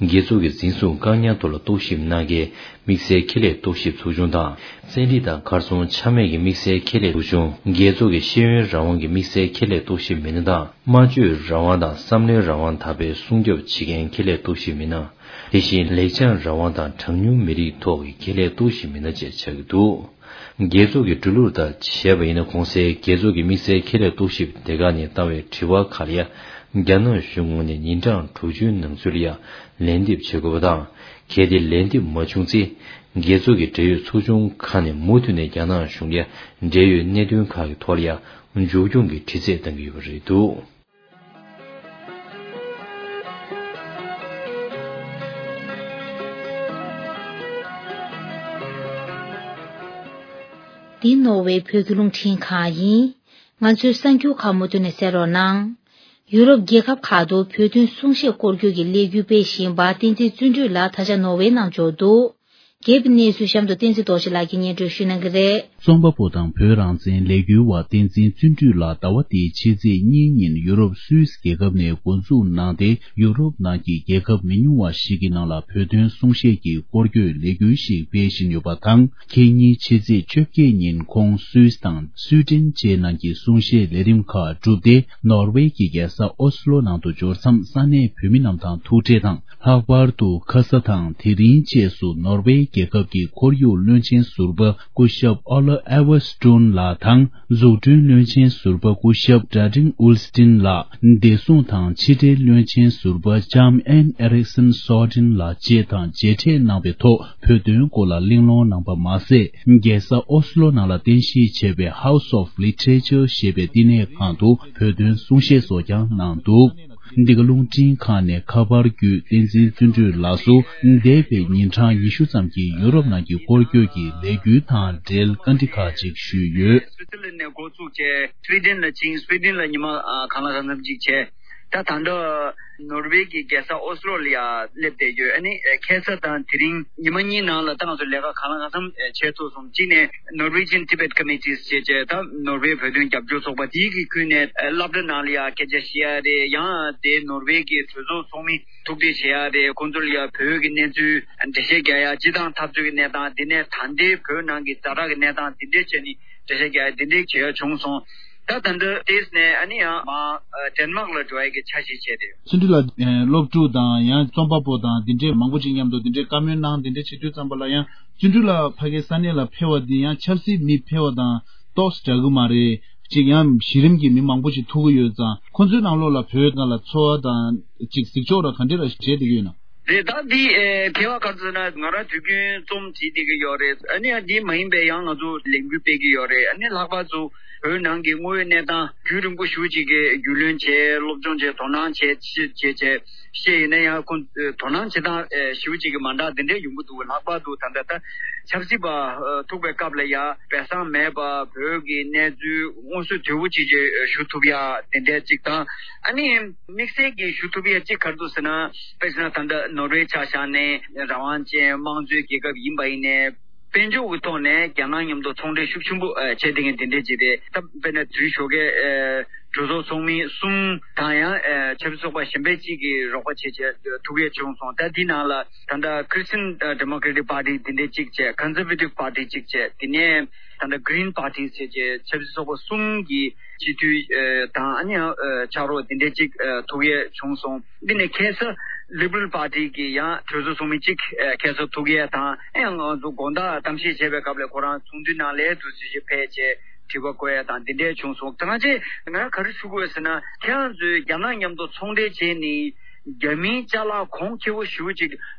རྒྱལ་ཚོགས་ཀྱི་འཛིན་བཟུང་བཀག་ཉར་ཐོག་ལ་རྟོག་ཞིབ་གནང་མཁན་དམིགས་བསལ་ཁེ་ལས་རྟོག་ཞིབ་ཚོགས་ཆུང་དང་། བཙན་ལྷིང་དང་གར་སོང་ཆ་མེད་ཀྱི་དམིགས་བསལ་ཁེ་ལས་ཚོགས་ཆུང་། རྒྱལ་ཚོགས་ཀྱི་ཤེས་ཡོན་རང་དབང་གི་དམིགས་བསལ་ཁེ་ལས་རྟོག་ཞིབ་མི་སྣ་དང་། སྨྲ་བརྗོད་རང་དབང་དང་བསམ་བློའི་རང་དབང་དག་པའི་སྲུང་སྐྱོབ་བྱེད་མཁན་ཁེ་ལས་རྟོག་ཞིབ་མི་སྣ། དེ་བཞིན་ལེགས་བྱང་རང་དབང་དང་གྲངས་ཉུང་མི་རིགས་ཐོག་གི་ཁེ་ལས་རྟོག་ཞིབ་མི་སྣ་བཅས་ཆགས་ཀྱི་འདུག་རྒྱལ་ཚོགས་ཀྱི་འགྲོ་ལུགས་ལྟར་བྱས་པ་ཡིན་ན། གོང་གསལ་རྒྱལ་ཚོགས་ཀྱི་དམིགས་བསལ་ཁེ་ལས་རྟོག་ཞིབ་སྡེ་ཁག་ནས་བཏང་བའི་དྲི་བ་ཁག་ལ་ཡང་རྒྱ་ནག་གཞུང་ངོས་ནས་ཉིན་གྲངས་དྲུག་ཅུའི་ནང་ཚུད་ལ་ཡང་ལན་འདེབས་བྱེད་དགོས་པ་དང་། གལ་ཏེ་ལན་འདེབས་མ་བྱུང་ཚེ། རྒྱལ་ཚོགས་ཀྱི་འབྲེལ་ཡོད་ཚོགས་ཆུང་ཁག་ནས་མུ་མཐུད་ནས་རྒྱ་ནག་གཞུང་ལ་ཡང་འབྲེལ་ཡོད་གནད་དོན་ཁག་གི་ཐོག་ལ་ཡང་མཇུག་སྐྱོང་གི་དྲི་རྩད་གཏང་གི་ཡོད་པ་རེད་འདུག་འདི་ནོར་ཝེ་བོད་ཀྱི་རླུང་འཕྲིན་ཁང་ཡིན། ང་ཚོའི་གསར་འགྱུར་ཁག་མུ་མཐུད་ནས་གསན་རོགས་གནང་། ཡུ་རོབ་རྒྱལ་ཁབ་ཁག་ཏུ་བོད་དོན་གསུང་བཤད་སྐོར་སྐྱོད་ཀྱི་ལས་འགུལ་སྤེལ་བཞིན་པ་བསྟན་འཛིན་བརྩོན་འགྲུས་ལགས་ད་ཆ་ནོར་ཝེ་ནང་འབྱོར་འདུག་རྒྱས་པའི་གནས་ཚུལ་གཤམ་དུ་བསྟན་འཛིན་རྡོ་རྗེ་ལགས་ཀྱིས་སྙན་སྒྲོན་ཞུ་གནང་གི་རེད། རྩོམ་པ་པོ་དང་བོད་རང་བཙན་ལས་འགུལ་བ་བསྟན་འཛིན་བརྩོན་འགྲུས་ལགས་ཟླ་བ་འདིའི་ཕྱི་ཚེས་གཉིས་ཉིན་ཡུ་རོབ་སུད་སི་རྒྱལ་ཁབ་ནས་འགོ་འཛུགས་གནང་སྟེ། ཡུ་རོབ་ནང་གི་རྒྱལ་ཁབ་མི་ཉུང་བ་ཞིག་གི་ནང་ལ་བོད་དོན་གསུང་བཤད་ཀྱི་སྐོར་སྐྱོད་ལས་འགུལ་ཞིག་སྤེལ་བཞིན་ཡོད་པ་དང་། ཁེ་ཉིན་ཕྱི་ཚེས་བཅོ་བརྒྱད་ཉིན་ཁོང་སུད་སི་དང་སུའེ་ཏེན་བཅས་ནང་གི་གསུང་བཤད་ལས་རིམ་ཁག་གྲུབ་སྟེ། ནོར་ཝེ་གི་རྒྱལ་ས་ཨོ་སི་ལོ་ནང་དུ་འབྱོར་མཚམས་ས་གནས་བོད་མི་རྣམས་དང་ཐུག་འཕྲད་དང་། ལྷག་པར་དུ་ཁ་ས་དང་དེ་རིང་བཅས་སུ་ནོར་ཝེ་རྒྱལ་ཁབ་ཀྱི་ཁོར་ཡུག་བློན་ཆེན་ཟུར་པ་སྐུ་ཞབས་ཨོ་ལ་ཨེ་ཝར་སི་ཀྲུན་ལགས་དང་། འཛུགས་སྐྲུན་བློན་ཆེན་ཟུར་པ་སྐུ་ཞབས་ཀྲ་ཀྲིན་ཨུལ་སི་ཏིན་ལགས། བདེ་སྲུང་དང་ཕྱི་འབྲེལ་བློན་ཆེན་ཟུར་པ་ལྕམ་ཨན་ཨེ་རིག་སན་སོ་ཏིན་ལགས་བཅས་དང་མཇལ་འཕྲད་གནང་བའི་ཐོག་བོད་དོན་སྐོར་ལ་གླེང་སློང་གནང་པ་མ་ཟད། རྒྱལ་ས་ཨོ་སི་ལོ་ནང་ལ་རྟེན་གཞི་བྱས་པའི་House of Literature ཞེས་པའི་བསྟི་གནས་ཁང་དུ་བོད་དོན་གསུང་བཤད་སོགས་ཀྱང་གནང་འདུག་འདི་ག་རླུང་འཕྲིན་ཁང་ནས་ཁ་པར་བརྒྱུད་བསྟན་འཛིན་བརྩོན་འགྲུས་ལགས་སུ་འདས་པའི་ཉིན་གྲངས་ཉི་ཤུ་ཙམ་གྱི་ཡུ་རོབ་ནང་གི་སྐོར་སྐྱོད་ཀྱི་ལས་འགུལ་དང་འབྲེལ་བཀའ་འདྲི་ཁག་ཅིག་ཞུས་ཡོད། སུའི་ཙི་ལན་ནས་འགོ་བཙུགས་བྱས་སུའི་ཌེན་ལ་ཕྱིན། སུའི་ཌེན་ལ་ཉི་མ་ཨ་གང་ལ་གང་འཚམ་ཅིག་བྱས། ད་ད་ལྟ་ནོར་ཝེ་གི་རྒྱལ་ས་ཨོ་སི་ལོ་ལ་ཡ་སླེབས་བསྡད་ཡོད། ཨ་ནི་ཁ་སང་དང་དེ་རིང་ཉི་མ་གཉིས་ནང་ལ་ད་ང་ཚོ་ལས་ཀ་གང་ལ་གང་འཚམ་བྱས་ཐུབ་སོང་། གཅིག་ནས་Norwegian Tibet Committees ཞེས་བྱས་ད་ནོར་ཝེ་བོད་དོན་རྒྱབ་སྐྱོར་ཚོགས་པ་དེའི་གི་ཁུལ་ནས་སློབ་གྲྭ་ནང་ལ་ཡ་སྐད་ཆ་བཤད་ཡ་རེད། ཡང་དེ་ནོར་ཝེ་གི་གྲོས་ཚོགས་ཚོགས་མི་ཐུག་འཕྲད་བྱེད་ཡ་རེད། ཁོང་ཚོ་ལ་ཡ་བོད་ཀྱི་གནས་ཚུལ་འགྲེལ་བཤད་རྒྱག་ཡ། སྤྱི་བཏང་འཐབ་རྩོད་ཀྱི་གནས་སྟངས། དེ་ནས་ད་ལྟའི་བོད་ནང་གི་ཛ་དྲག་གི་གནས་སྟངས་དེ་འདྲས་བྱས་ནས་འགྲེལ་བཤད་རྒྱག་ཡ་དེ་འདྲས་བྱེད་ཡ་བྱུང་སོང་། ད་ད་ལྟ་ཏེས་ནས་ཨ་ནི་ཡང་མ་ཨ་ཌེན་མག་ལ་འགྲོ་ཡ་གི་འཆར་གཞི་བྱས་ཏེ། བརྩོན་འགྲུས་ལགས་ཨ་སློབ་ཕྲུག་དང་ཡང་རྩོམ་པ་པོ་དང་དེ་འདྲས་མང་པོ་ཅིག་མཉམ་དུ་དེ་འདྲས་བཀའ་མོལ་གནང་། དེ་འདྲས་བྱེད་དུས་ཙམ་པ་ལ་ཡང་བརྩོན་འགྲུས་ལགས་ཕ་གིའི་ས་གནས་ལ་ཕེབས་པ་འདི་ཡང་ཆབ་སྲིད་མི་ཕེབས་པ་དང་ཏོག་ཙམ་འདྲ་གི་མ་རེད། ཅིག་ཡང་གཞི་རིམ་གྱི་མི་མང་པོ་ཞིག་ཐུག་གི་ཡོད་ཙང་། ཁོང་ཚོའི་ནང་ལོགས་ལ་བོད་སྒང་ལ་ཚོར་བ་དང་ཅིག་གཟིགས་ཕྱོགས་ར་ག་འདྲ་ར་བྱས་བསྡད་ཀྱི་ཡོད་ན། རེད། ད་འདི་ཨེ་ཕལ་བ་ག་རེ་ཟེར་ན། ང་རང་དུས་རྒྱུན་རྩོམ་བྲིས་བསྡད་ཀྱི་ཡོད་རེད། ཨ་ནི་ཡང་འདི་མ་ཡིན་པའི་ཡང་ང་ཚོ་ལས་འགུལ་སྤེལ་གྱི་ཡོད་རེད། ཨ་ནི་ལྷག་པར་དུ་བོད་ནང་གི་དངོས་ཡོད་གནས་སྟངས་རྒྱུན་རིང་པོ་ཞེ་པོ་ཅིག་གི་རྒྱུས་ལོན་བྱས། སློབ་སྦྱོང་བྱས། དོ་སྣང་བྱས། ཅི་བྱས་བྱས་ཡིན་ན་ཡང་ཁོང་དོ་སྣང་བྱེད་སྟངས་ཞེ་པོ་ཅིག་གི་མ་འདྲ་དེ་འདྲས་ཡོང་གི་འདུག་ལྷག་པར་དུ་ད་ལྟ་ད་ཆབ་སྲིད་པ་ཐུག་པའི་སྐབས་ལ་ཡ་སྦས་གསང་མེད་པ་བོད་ཀྱི་གནས་ཚུལ་མངོན་གསལ་དོད་པོ་ཅིག་ཅིག་ཞུ་ཐུབ་ཡ་དེ་འདྲས་ཅིག་དང་། ཨ་ནི་དམིགས་བསལ་གྱི་ཞུ་ཐུབ་ཡ་ཅིག་ག་རེ་འདུག་ཟེར་ན། དཔེར་ན་ད་ལྟ་ནོར་ཝེ་ཆ་བཞག་ནས་རང་དབང་ཅན་དམངས་གཙོའི་རྒྱལ་ཁབ་ཡིན་པ་ཡིན་ནའི། དཔལ་འབྱོར་གྱི་ཐོག་ནས་རྒྱ་ནག་མཉམ་དུ་ཚོང་འབྲེལ་ཤུགས་ཆེན་པོ་ཨ་བྱས་བསྡད་མཁན་དེ་འདྲས་ཅིག་རེད། ད་དཔེར་ན་དེ་རིང་ཞོགས་ཀས་ཨ་གྲོས་ཚོགས་ཚོགས་མི་གསུམ་དང་ཡང་ཨ་ཆབ་སྲིད་ཚོགས་པ་གཞན་པ་གཅིག་གིས་རོགས་པ་བྱས་བྱས་ཐུག་ཡས་བྱུང་སོང་། ད་འདི་ནང་ལ་ད་ལྟ་Christian Democratic Party དེ་འདྲས་གཅིག་བྱས། Conservative Party གཅིག་བྱས། དེ་ནས་ད་ལྟ་Green Party ཟེར་བྱས་ཆབ་སྲིད་ཚོགས་པ་གསུམ་གྱི་སྤྱི་འཐུས་ཨ་དང་། ཨ་ནི་ཡང་ཨ་ཕྱག་རོགས་དེ་འདྲས་གཅིག་ཨ་ཐུག་ཡས་བྱུང་སོང་། འདི་ནས་ཁ་སང་Liberal Party གི་ཡང་གྲོས་ཚོགས་ཚོགས་མི་གཅིག་ཨ་ཁ་སང་ཐུག་ཡས་དང་། ཨ་ཡང་ང་ཚོ་དགོང་དག་གཏམ་བཤད་བྱས་པའི་སྐབས་ལ་ཁོ་རང་ཚོགས་འདུའི་ནང་ལ་དུས་ཚོད་ཅིག་ཕེབས་བྱས་དྲི་བ་བཀོད་ཡས་དང་འདི་འདྲས་བྱུང་སོང་། ད་ང་ཚོས་ང་ག་རེ་ཞུ་དགོས་ཟེར་ན། ཁྱེད་རང་ཚོས་རྒྱ་ནག་མཉམ་དུ་ཚོང་འབྲེལ་བྱས་ནས་རྒྱ་མིའི་ཅ་ལག་གོང་ཁེ་པོ་ཞེ་པོ་ཅིག་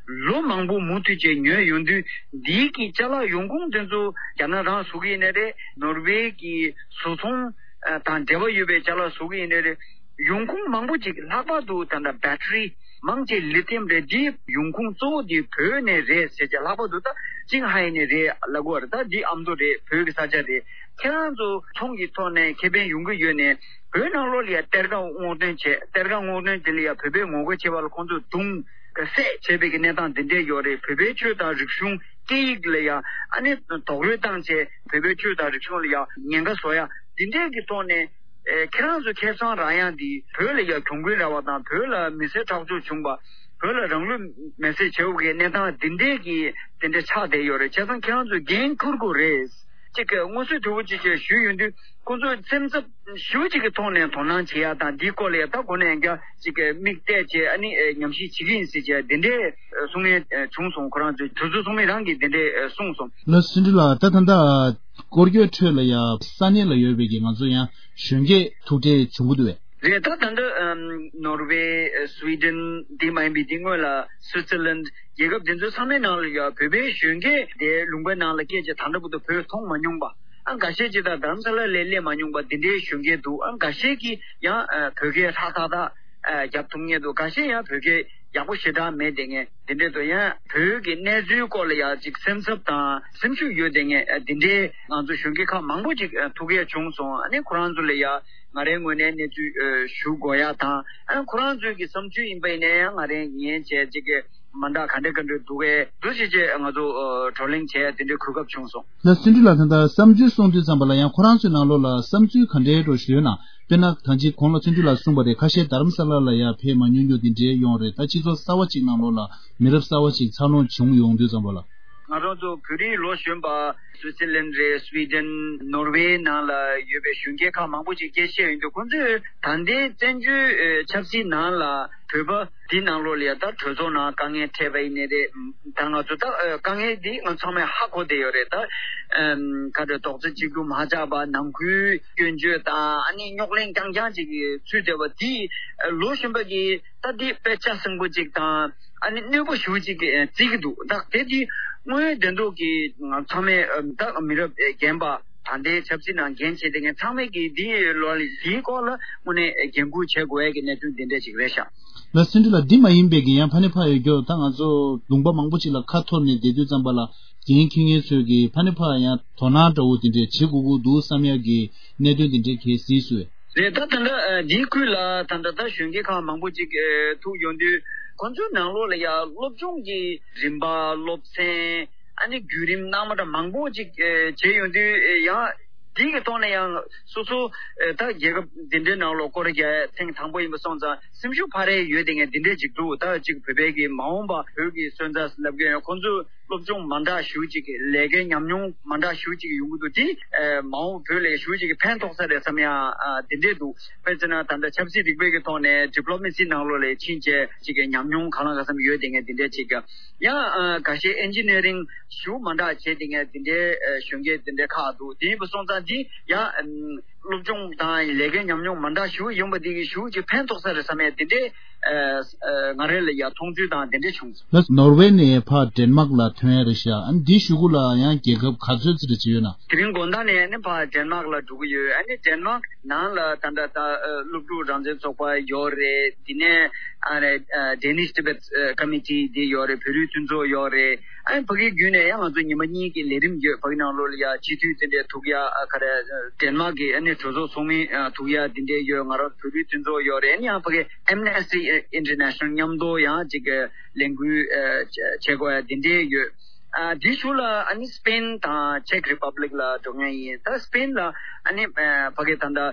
ལོ་མང་པོ་མུ་མཐུད་བྱས་ཉོས་ཡོང་དུས། འདིའི་གི་ཅ་ལག་ཡོང་ཁུངས་དེ་ཚོ་རྒྱ་ནག་རང་བཟོ་གི་ཡིན་ནའི་རེད། ནོར་ཝེ་གི་བཟོ་ཚོང་ཨ་དང་འབྲེལ་བ་ཡོད་པའི་ཅ་ལག་བཟོ་གི་ཡིན་ནའི་རེད། ཡོང་ཁུངས་མང་པོ་ཅིག་ལྷག་པར་དུ་ད་ལྟ་battery མང་ཆེ་lithium རེད། འདི་ཡོང་ཁུངས་གཙོ་བོ་འདི་བོད་ནས་རེད་ཟེར་བྱས། ལྷག་པར་དུ་ད་ཅིང་ཧའེ་ནས་རེད་ལབ་དགོས་རེད། ད་འདི་ཨ་མདོ་རེད། བོད་ཀྱི་ས་ཆ་རེད། ཁྱེད་རང་ཚོ་ཚོང་གི་ཐོག་ནས་ཁེ་ཕན་ཡོང་གི་ཡོད་ནའི་བོད་ནང་ལོགས་ལ་ཡ་གཏེར་ཁ་སྔོག་འདོན་བྱས། གཏེར་ཁ་སྔོག་འདོན་དེ་ལ་ཡ་བོད་པའི་ངོ་རྒོལ་བྱས་པ་ལ་ཁོང་ཚོས་རྡུང་བསད་བྱས་པའི་གི་གནས་སྟངས་འདི་འདྲས་ཡོད་རེད། བོད་པའི་ཆོས་དང་རིག་གཞུང་སྐད་ཡིག་ལ་ཡ་ཨ་ནི་རྡོག་རོལ་བཏང་བྱས། བོད་པའི་ཆོས་དང་རིག་གཞུང་ལ་ཡ་ཉེན་ཁ་བཟོ་ཡ། འདི་འདྲའི་གི་ཐོག་ནས་ཨེ་ཁྱེད་རང་ཚོ་ཁེ་བཟང་རག་ཡག་འདི། བོད་ལ་ཡ་གྱོང་གུན་རག་པ་དང་། བོད་ལ་མི་སེར་ཁྲག་སྦྱོར་བྱུང་བ། བོད་ལ་རང་ལུས་མེར་སྲེག་བྱས་པའི་གནས་སྟངས་འདི་འདྲའི་གི་དེ་འདྲ་ཆགས་བསྡད་ཡོད་རེད། བྱས་ཙང་ཁྱེད་རང་ཚོས་འགན་འཁུར་དགོས་རེད། ཅིག་གི་མངོན་གསལ་དོད་པོ་ཅིག་བྱས་ཞུས་ཡོང་དུས། ཁོང་ཚོས་སེམས་འཚབ་ཞེ་པོ་ཅིག་གི་ཐོག་ནས་དོ་སྣང་བྱེད་ཡག་དང་། འདིའི་སྐོར་ལ་ཡ་ད་གོ་གནས་ཡང་བསྐྱར་ཅིག་གི་མིག་བལྟས་བྱས། ཨ་ནི་ཨེ་ཉམས་ཞིབ་བྱེད་ཀྱི་ཡིན་ཟེར་བྱས་དེ་འདྲའི་ཨེ་གསུང་མཁན་ཨེ་བྱུང་སོང་། ཁོ་རང་ཚོའི་གྲོས་ཚོགས་ཚོགས་མི་རང་གིས་དེ་འདྲའི་ཨེ་གསུངས་སོང་། ལགས་སོ། བརྩོན་འགྲུས་ལགས། ད་ད་ལྟ་སྐོར་སྐྱོད་ཁྲོད་ལ་ཡ་ས་གནས་ལ་ཡོད་པའི་གི་ང་ཚོ་ཡང་གཞོན་སྐྱེས་ཐུག་འཕྲད་བྱུང་གི་འདུག་བས། རེད། ད་ད་ལྟ་ཨམ་ནོར་ཝེ། ཨ་སུའི་ཌེན། དེ་མ་ཡིན་པའི་དེ་སྔོན་ལ་སུའི་ཙི་ལན། རྒྱལ་ཁབ་དེ་ཚོ་ཚང་མའི་ནང་ལ་ཡ་བོད་པའི་གཞོན་སྐྱེས་དེ་ལུང་པའི་ནང་ལ་སྐྱེས་བྱས་ད་ལྟ་བར་དུ་བོད་མཐོང་མ་མྱོང་པ། ཨ་འགའ་ཤས་ཅིག་ད་རྡ་རམ་ས་ལ་ལ་སླེབས་མ་མྱོང་པ་དེ་འདྲའི་གཞོན་སྐྱེས་འདུག། ཨ་འགའ་ཤས་ཀྱིས་ཡང་ཨ་བོད་སྐད་ཧྲག་ཐག་ཐག་ཨ་རྒྱབ་ཐུབ་མཁན་འདུག། འགའ་ཤས་ཡང་བོད་སྐད་ཡག་པོ་ཞེ་དྲག་མེད་བསྡད་མཁན་དེ་འདྲས་འདུག། ཡང་བོད་ཀྱི་གནས་ཚུལ་སྐོར་ལ་ཡ་ཅིག་སེམས་འཚབ་དང་སེམས་ཤུགས་ཡོད་བསྡད་མཁན་ཨ་དེ་འདྲའི་ང་ཚོ་གཞོན་སྐྱེས་ཁག་མང་པོ་ཅིག་ཨ་ཐུག་ཡས་བྱུང་སོང་། ཨ་ནི་ཁོ་རང་ཚོ་ལ་ཡ་ང་རའི་ངོས་ནས་གནས་ཚུལ་ཨ་ཞུ་དགོས་ཡ་དང་། ཨ་ཁོ་རང་ཚོའི་གི་བསམ་ཚུལ་ཡིན་པ་ཡིན་ན་ཡང་ང་རའི་ངས་བྱས་ཅིག་གི་མ་འདྲ་ག་འདྲ་ག་འདྲ་འདུག་གས། འདུག་སེ་བྱས་ང་ཚོ་ཨ་བགྲོ་གླེང་བྱས་དེ་འདྲའི་གོ་སྐབས་བྱུང་སོང་། ལགས་སོ། བརྩོན་འགྲུས་ལགས། ད་ལྟ་བསམ་ཚུལ་གསུང་དུས་ཙམ་པ་ལ་ཡང་ཁོ་རང་ཚོའི་ནང་ལོགས་ལ་བསམ་ཚུལ་ག་འདྲའི་འགྲོ་ཞུས་ན། དཔེར་ན་ད་ཅིག་གོང་ལ་བརྩོན་འགྲུས་ལགས་གསུངས་པ་རེད། ཁ་ཤས་རྡ་རམ་ས་ལ་ལ་ཡ་ཕེབས་མ་མྱོང་རྒྱུ་དེ་འདྲའི་ཡོང་རེད། ད་སྤྱི་ཚོགས་གསར་བ་ཅིག་ནང་ལོགས་ལ་མི་རབས་གསར་བ་ཅིག་འཚར་ལོངས་བྱུང་ཡོང་དུས་ཙམ་པ་ལ། ང་རང་ཚོ་བོད་རིགས་ལོ་གཞོན་པ་སུའི་ཙི་ལན་རེད། སུའི་ཌེན། ནོར་ཝེ་ནང་ལ་ཡོད་པའི་གཞོན་སྐྱེས་ཁག་མང་པོ་ཅིག་སྐད་ཆ་བཤད་ཡོང་དུས། ཁོང་ཚོས་ད་ལྟའི་བཙན་བྱོལ་ཨེ་ཆབ་སྲིད་ནང་ལ་བོད་པ་འདི་ནང་ལོགས་ལ་ཡ་ད་གྲོས་ཚོགས་ནང་དཀའ་ངལ་འཕྲད་པ་ཡིན་ནའི་རེད། ད་ང་ཚོ་ད་ཨེ་དཀའ་ངལ་འདི་ང་ཚང་མས་ཧ་གོ་བསྡད་ཡོད་རེད། ད་ཨེམ་ག་རེ་རྡོག་རྩ་གཅིག་ཏུ་མ་ཆགས་པ། ནང་ཁུལ་སྐྱོན་བརྗོད་དང་། ཨ་ནི་རྙོག་གླེང་རྐྱང་རྐྱང་ཅིག་གི་ཚུལ་བསྡད་པ་འདི་ཨེ་ལོ་གཞོན་པ་གིས་ད་འདི་དཔེ་ཆ་ཟིང་པོ་ཅིག་དང་། ཨ་ནི་གནོད་པོ་ཞེ་པོ་ཅིག་གི་ཨེ་བརྩི་གི་འདུག། ད་དེ་འདི་དངོས་ཡོད་བདེན་མདོག་གིས་ང་ཚང་མས་ཨེ་ད་མི་རབས་ཨེ་རྒན་པ། ད་ལྟའི་ཆབ་སྲིད་ནང་འགན་བཞེས་བསྡད་མཁན་ཚང་མས་ཀྱིས་འདི་ལོ་ལ་འདིའི་སྐོར་ལ་དངོས་གནས་འགན་འཁུར་བྱེད་དགོས་ཡ་གི་གནད་དོན་འདི་འདྲ་ཅིག་རེད་ཤག། ལགས་སོ། བརྩོན་འགྲུས་ལགས། འདི་མ་ཡིན་པའི་གི་ཡང་ཕ་ནས་ཕར་ཡོད་རྒྱུ། ད་ང་ཚོ་ལུང་པ་མང་པོ་ཅིག་ལ་ཁ་འཐོར་ནས་བསྡད་དུས་ཙམ་པ་ལ། འགན་འཁྱེར་མཁན་ཚོས་ཀྱིས་ཕ་ནས་ཕར་ཡང་དོ་སྣང་འདྲ་བོ་དེ་འདྲས་བྱེད་དགོས་ཀྱི་འདུག་བསམ་ཡ་གི་གནད་དོན་དེ་འདྲས་གལ་སྲིད་སུ། རེད། ད་ད་ལྟ་ཨ་འདིའི་ཁུལ་ལ་ད་ལྟ་ད་གཞོན་སྐྱེས་ཁག་མང་པོ་ཅིག་ཨེ་ཐུག་ཡོང་དུས། ཁོང་ཚོའི་ནང་ལོགས་ལ་ཡ་སློབ་སྦྱོང་གི་རིམ་པ། སློབ་ཚན། ཨ་ནི་བརྒྱུད་རིམ་སྣ་མ་འདྲ་མང་པོ་ཅིག་ཨེ་བྱས་ཡོང་དུས། ཨེ་ཡང་འདི་གི་ཐོག་ནས་ཡང་སོ་སོ་ཨེ་ད་རྒྱལ་ཁབ་འདི་འདྲའི་ནང་ལོགས་སྐོར་ར་རྒྱག་ཐེངས་དང་པོ་ཡིན་པ་སོང་ཙང་སེམས་ཤུགས་འཕར་ཡས་ཡོད་བསྡད་མཁན་འདི་འདྲས་ཅིག་འདུག། ད་ཅིག་བོད་པའི་གི་མ་འོངས་པ་བོད་ཀྱི་སོན་རྩ་ལབ་མཁན་ཡང་ཁོང་ཚོ་སློབ་སྦྱོང་མ་འདྲ་ཞེ་པོ་ཅིག་གི་ལས་ཀའི་ཉམས་མྱོང་མ་འདྲ་ཞེ་པོ་ཅིག་ཡོང་གི་འདུག། དེ་ཨེ་མ་འོངས་བོད་ལ་ཞེ་པོ་ཅིག་གི་ཕན་ཐོགས་ས་རེད་བསམ་ཡ་ཨ་དེ་འདྲས་འདུག། དཔེར་བརྗོད་ན་ད་ལྟ་ཆབ་སྲིད་རིག་པའི་གི་ཐོག་ནས་ཌི་པི་ལོ་མེ་སི་ནང་ལོགས་ལ་ཕྱིན་བྱས་ཅིག་གི་ཉམས་མྱོང་གང་ལ་གང་འཚམ་ཡོད་བསྡད་མཁན་དེ་འདྲས་ཅིག། ཡང་ཨ་ཁ་ཤས་ཨེན་ཇི་ནི་ཡ་རིང་ཞེ་པོ་མ་འདྲ་བྱས་བསྡད་མཁན་དེ་འདྲའི་ཨ་གཞོན་སྐྱེས་དེ་འདྲའི་ཁག་འདུག། དེ་ཡིན་པ་སོང་ཙང་དེ་ཡང་ཨམ་སློབ་སྦྱོང་དང་ལས་ཀའི་ཉམས་མྱོང་མ་འདྲ་ཞེ་པོ་ཡོང་པ་དེ་གིས་ཞེ་པོ་ཅིག་ཕན་ཐོགས་ས་རེད་བསམ་ཡས་དེ་འདྲའི་ཨ་ཨ་ང་རང་ལ་ཡ་མཐོང་ཚུལ་དང་དེ་འདྲ་བྱུང་སོང་། ལགས། ནོར་ཝེ་ནས་ཕར་ཌེན་མཱག་ལ་ཐོན་ཡ་རེད་ཤག། ཨ་ནི་འདི་གཞུག་གུ་ལ་ཡང་རྒྱལ་ཁབ་ག་ཚོད་ཙམ་རེ་བྱེད་ཡོད་ན། དེ་རིང་དགོང་དག་ནས་ཨ་ནི་ཕར་ཌེན་མཱག་ལ་འགྲོ་གི་ཡོད། ཨ་ནི་ཌེན་མཱག་ནང་ལ་ད་ལྟ་ད་ཨ་སློབ་ཕྲུག་རང་བཙན་ཚོགས་པ་ཡོད་རེད། དེ་ནས་ཨ་ནི་ཨ་Danish Tibet Committee དེ་ཡོད་རེད། བོད་རིགས་མཐུན་ཚོགས་ཡོད་རེད། ཨ་ནི་ཕ་གིའི་བརྒྱུད་ནས་ཡང་ང་ཚོ་ཉི་མ་གཉིས་ཀྱི་ལས་རིམ་ཡོད། ཕ་གི་ནང་ལོགས་ལ་ཡ་སྤྱི་འཐུས་དེ་འདྲས་ཐུག་ཡ། ཨ་ག་རེ་ཌེན་མཱག་གི་ཨ་ནི་གྲོས་ཚོགས་ཚོགས་མི་ཨ་ཐུག་ཡ་དེ་འདྲས་ཡོད། ང་རང་བོད་རིགས་མཐུན་ཚོགས་ཡོད་རེད། ཨ་ནི་ཡང་ཕ་གི་Amnesty International མཉམ་དུ་ཡང་ཅིག་ལས་འགུལ་ཨ་བྱེད་དགོས་ཡ་དེ་འདྲས་ཡོད། ཨ་དེའི་གཞུག་ལ་ཨ་ནི་སི་པེན་དང་ཅེག་རི་པབ་ལིག་ལ་འགྲོ་མཁན་ཡིན། ད་སི་པེན་ལ་ཨ་ནི་ཨ་ཕ་གི་ད་ལྟ་ཨ་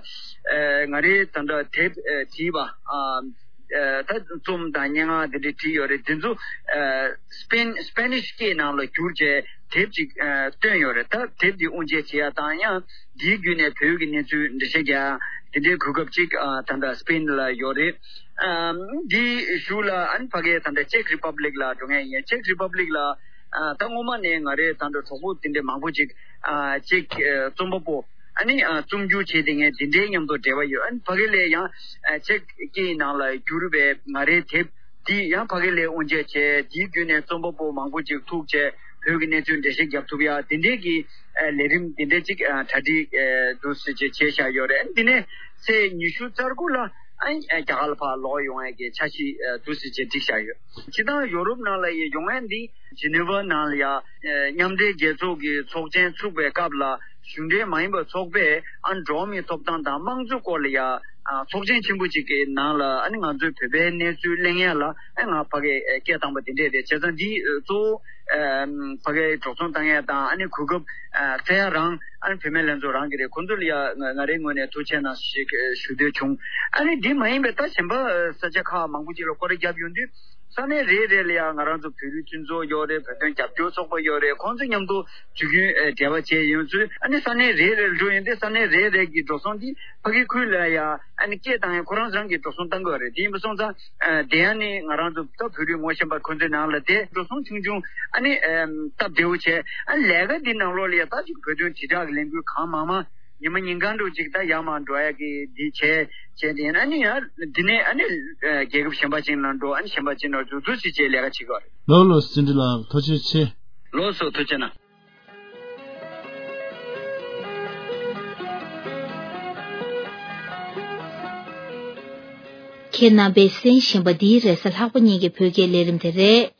ང་རེ་ད་ལྟ་དེབ་ཨ་བྲིས་པ་ཨ་ཨ་ད་རྩོམ་དང་སྙན་ངག་དེ་འདྲ་བྲིས་ཡོད་རེད། དེ་ཚོ་ཨ་སི་པེན་སི་པེ་ནིཤ་སྐད་ནང་ལ་བསྒྱུར་བྱས་དེབ་ཅིག་ཨ་བཏོན་ཡོད་རེད། ད་དེབ་འདི་དབུ་འབྱེད་བྱེད་ཡ་དང་། ཡང་འདིའི་བརྒྱུད་ནས་བོད་ཀྱི་གནས་ཚུལ་འགྲེལ་བཤད་རྒྱག་ཡ་དེ་འདྲའི་གོ་སྐབས་ཅིག་ཨ་ད་ལྟ་སི་པེན་ལ་ཡོད་རེད། ཨ་འདིའི་གཞུག་ལ་ཨ་ནི་ཕ་གི་ད་ལྟ་ཅེག་རི་པབ་ལིག་ལ་འགྲོ་མཁན་ཡིན། ཅེག་རི་པབ་ལིག་ལ་ཨ་ད་སྔོན་མ་ནས་ང་རའི་ད་ལྟ་གྲོགས་པོ་དེ་འདྲ་མང་པོ་ཅིག་ཨ་ཅིག་ཨ་རྩོམ་པ་པོ་ཨ་ནི་ཨ་རྩོམ་སྒྱུར་བྱེད་བསྡད་མཁན་དེ་འདྲའི་མཉམ་དུ་འབྲེལ་བ་ཡོད། ཨ་ནི་ཕ་གི་ལ་ཡང་ཨ་ཅེག་སྐད་ནང་ལ་བསྒྱུར་བའི་ང་རའི་དེབ་འདི་ཡང་ཕ་གི་ལ་དབུ་འབྱེད་བྱས། དེའི་བརྒྱུད་ནས་རྩོམ་པ་པོ་མང་པོ་ཅིག་ཐུག་བྱས་བོད་ཀྱི་གནས་ཚུལ་འགྲེལ་བཤད་རྒྱབ་ཐུབ་ཡ་དེ་འདྲའི་གི་ཨ་ལས་རིམ་དེ་འདྲ་ཅིག་ཨ་གྲ་སྒྲིག་ཨ་འདུག་སེ་བྱས་བྱས་བཞག་ཡོད་རེད། ཨ་ནི་དེ་ནས་ཚེས་ཉི་ཤུ་རྩ་དགུ་ལ་ཨ་ནི་རྒྱ་གར་ལ་ཕར་ལོག་ཡོང་ཡས་ཀྱི་འཆར་གཞི་ཨ་འདུག་སེ་བྱས་བསྒྲིགས་བཞག་ཡོད། སྤྱིར་བཏང་ཡོ་རོབ་ནང་ལ་ཡི་ཡོང་ཡས་འདི་ཇི་ནི་ཝ་ནང་ལ་ཡ་ཨ་མཉམ་འབྲེལ་རྒྱལ་ཚོགས་ཀྱི་ཚོགས་ཆེན་ཚུགས་པའི་སྐབས་ལ་གཞུང་འབྲེལ་མ་ཡིན་པའི་ཚོགས་པས་ཨ་ནི་འགྲོ་བ་མིའི་ཐོབ་ཐང་དང་དམངས་གཙོའི་སྐོར་ལ་ཡ་ཨ་ཚོགས་ཆེན་ཆེན་པོ་ཅིག་གི་ནང་ལ་ཨ་ནི་ང་ཚོའི་བོད་པའི་གནས་ཚུལ་གླེང་ཡ་ལ་ཨ་ནི་ང་ཕ་གིར་ཨ་སྐད་བཏང་པ་དེ་འདྲས་རེད། བྱས་ཙང་འདི་ཨ་གཙོ་བོ་ཨ་ ཕ་གིའི་འགྲོ་སོང་བཏང་ཡས་དང་ཨ་ནི་གོ་སྐབས་སྩལ་ཡ་རང་ཨ་ནི་བུད་མེད་ལྷན་ཚོགས་རང་གི་རེད། ཁོང་ཚོ་ལ་ཡ་ང་རའི་ངོས་ནས་ཐུགས་རྗེ་གནང་ཞེས་ཞུ་འདོད་བྱུང་། ཨ་ནི་འདི་མ་ཡིན་པའི་ད་གཞན་པ་ས་ཆ་ཁག་མང་པོ་ཅིག་ལ་སྐོར་ར་བརྒྱབ་ཡོང་དུས། ས་གནས་རེ་རེ་ལ་ཡང་ང་རང་ཚོ་བོད་རིགས་མཐུན་ཚོགས་ཡོད་རེད། བོད་དོན་རྒྱབ་སྐྱོར་ཚོགས་པ་ཡོད་རེད། ཁོང་ཚོ་མཉམ་དུ་དུས་རྒྱུན་ཨེ་འབྲེལ་བ་བྱས་ཡོང་ཚུལ། ཨ་ནི་ས་གནས་རེ་རེར་འགྲོ་ཡོང་དུས་ས་གནས་རེ་རེ་གི་འགྲོ་སོང་འདི་ཕ་གི་ཁུལ་ལ་ཡང་ཨ་ནི་སྐད་བཏང་ཡང་ཁོ་རང་རང་གི་འགྲོ་སོང་བཏང་དགོས་རེད། དེ་ཡིན་པ་སོང་ཙང་ཨ་དེ་ཡང་ནི་ང་རང་ཚོ་ད་བོད་རིགས་ངོ་ཤེས་པ་ཁོང་ཚོའི་ནང་ལ་དེ་འགྲོ་སོང་ཆུང་ཆུང་ཨ་ནི་ཨེམ་སྟབས་བདེ་བོ་བྱས། ཨ་ནི་ལས་ཀ་འདི་ནང་ལོགས་ལ་ཡང་ད་ཅིག་བོད་དོན་དྲིལ་བསྒྲགས་ཀྱི་ལས་འགུལ་གང་མང་མང་ཉི་མ་ཉིན་གང་འགྲོ་ཅིག་ད་ཡར་མར་འགྲོ་ཡ་གི་འདི་བྱས་བྱས་ཏེ་ཨ་ནི་ཡང་འདི་ནས་ཨ་ནི་རྒྱལ་ཁབ་གཞན་པ་ཅིག་ནང་འགྲོ། ཨ་ནི་གཞན་པ་ཅིག་ནང་འགྲོ་ཚུལ་ཅིག་བྱས་ལས་ཀ་བྱེད་དགོས་རེད། ལོ་ལོ་སྲིད་འདི་ལགས་ཐུགས་རྗེ་ཆེ། ལོ་སོ་ཐུགས་རྗེ་གནང་། ཁྱེད་རྣམ་པས་གསན་བཞིན་པ་འདི་རེས་གཟའ་ལྷག་པ་ཉིན་གྱི་བོད་སྐད་ལས་རིམ་དེ་རེད།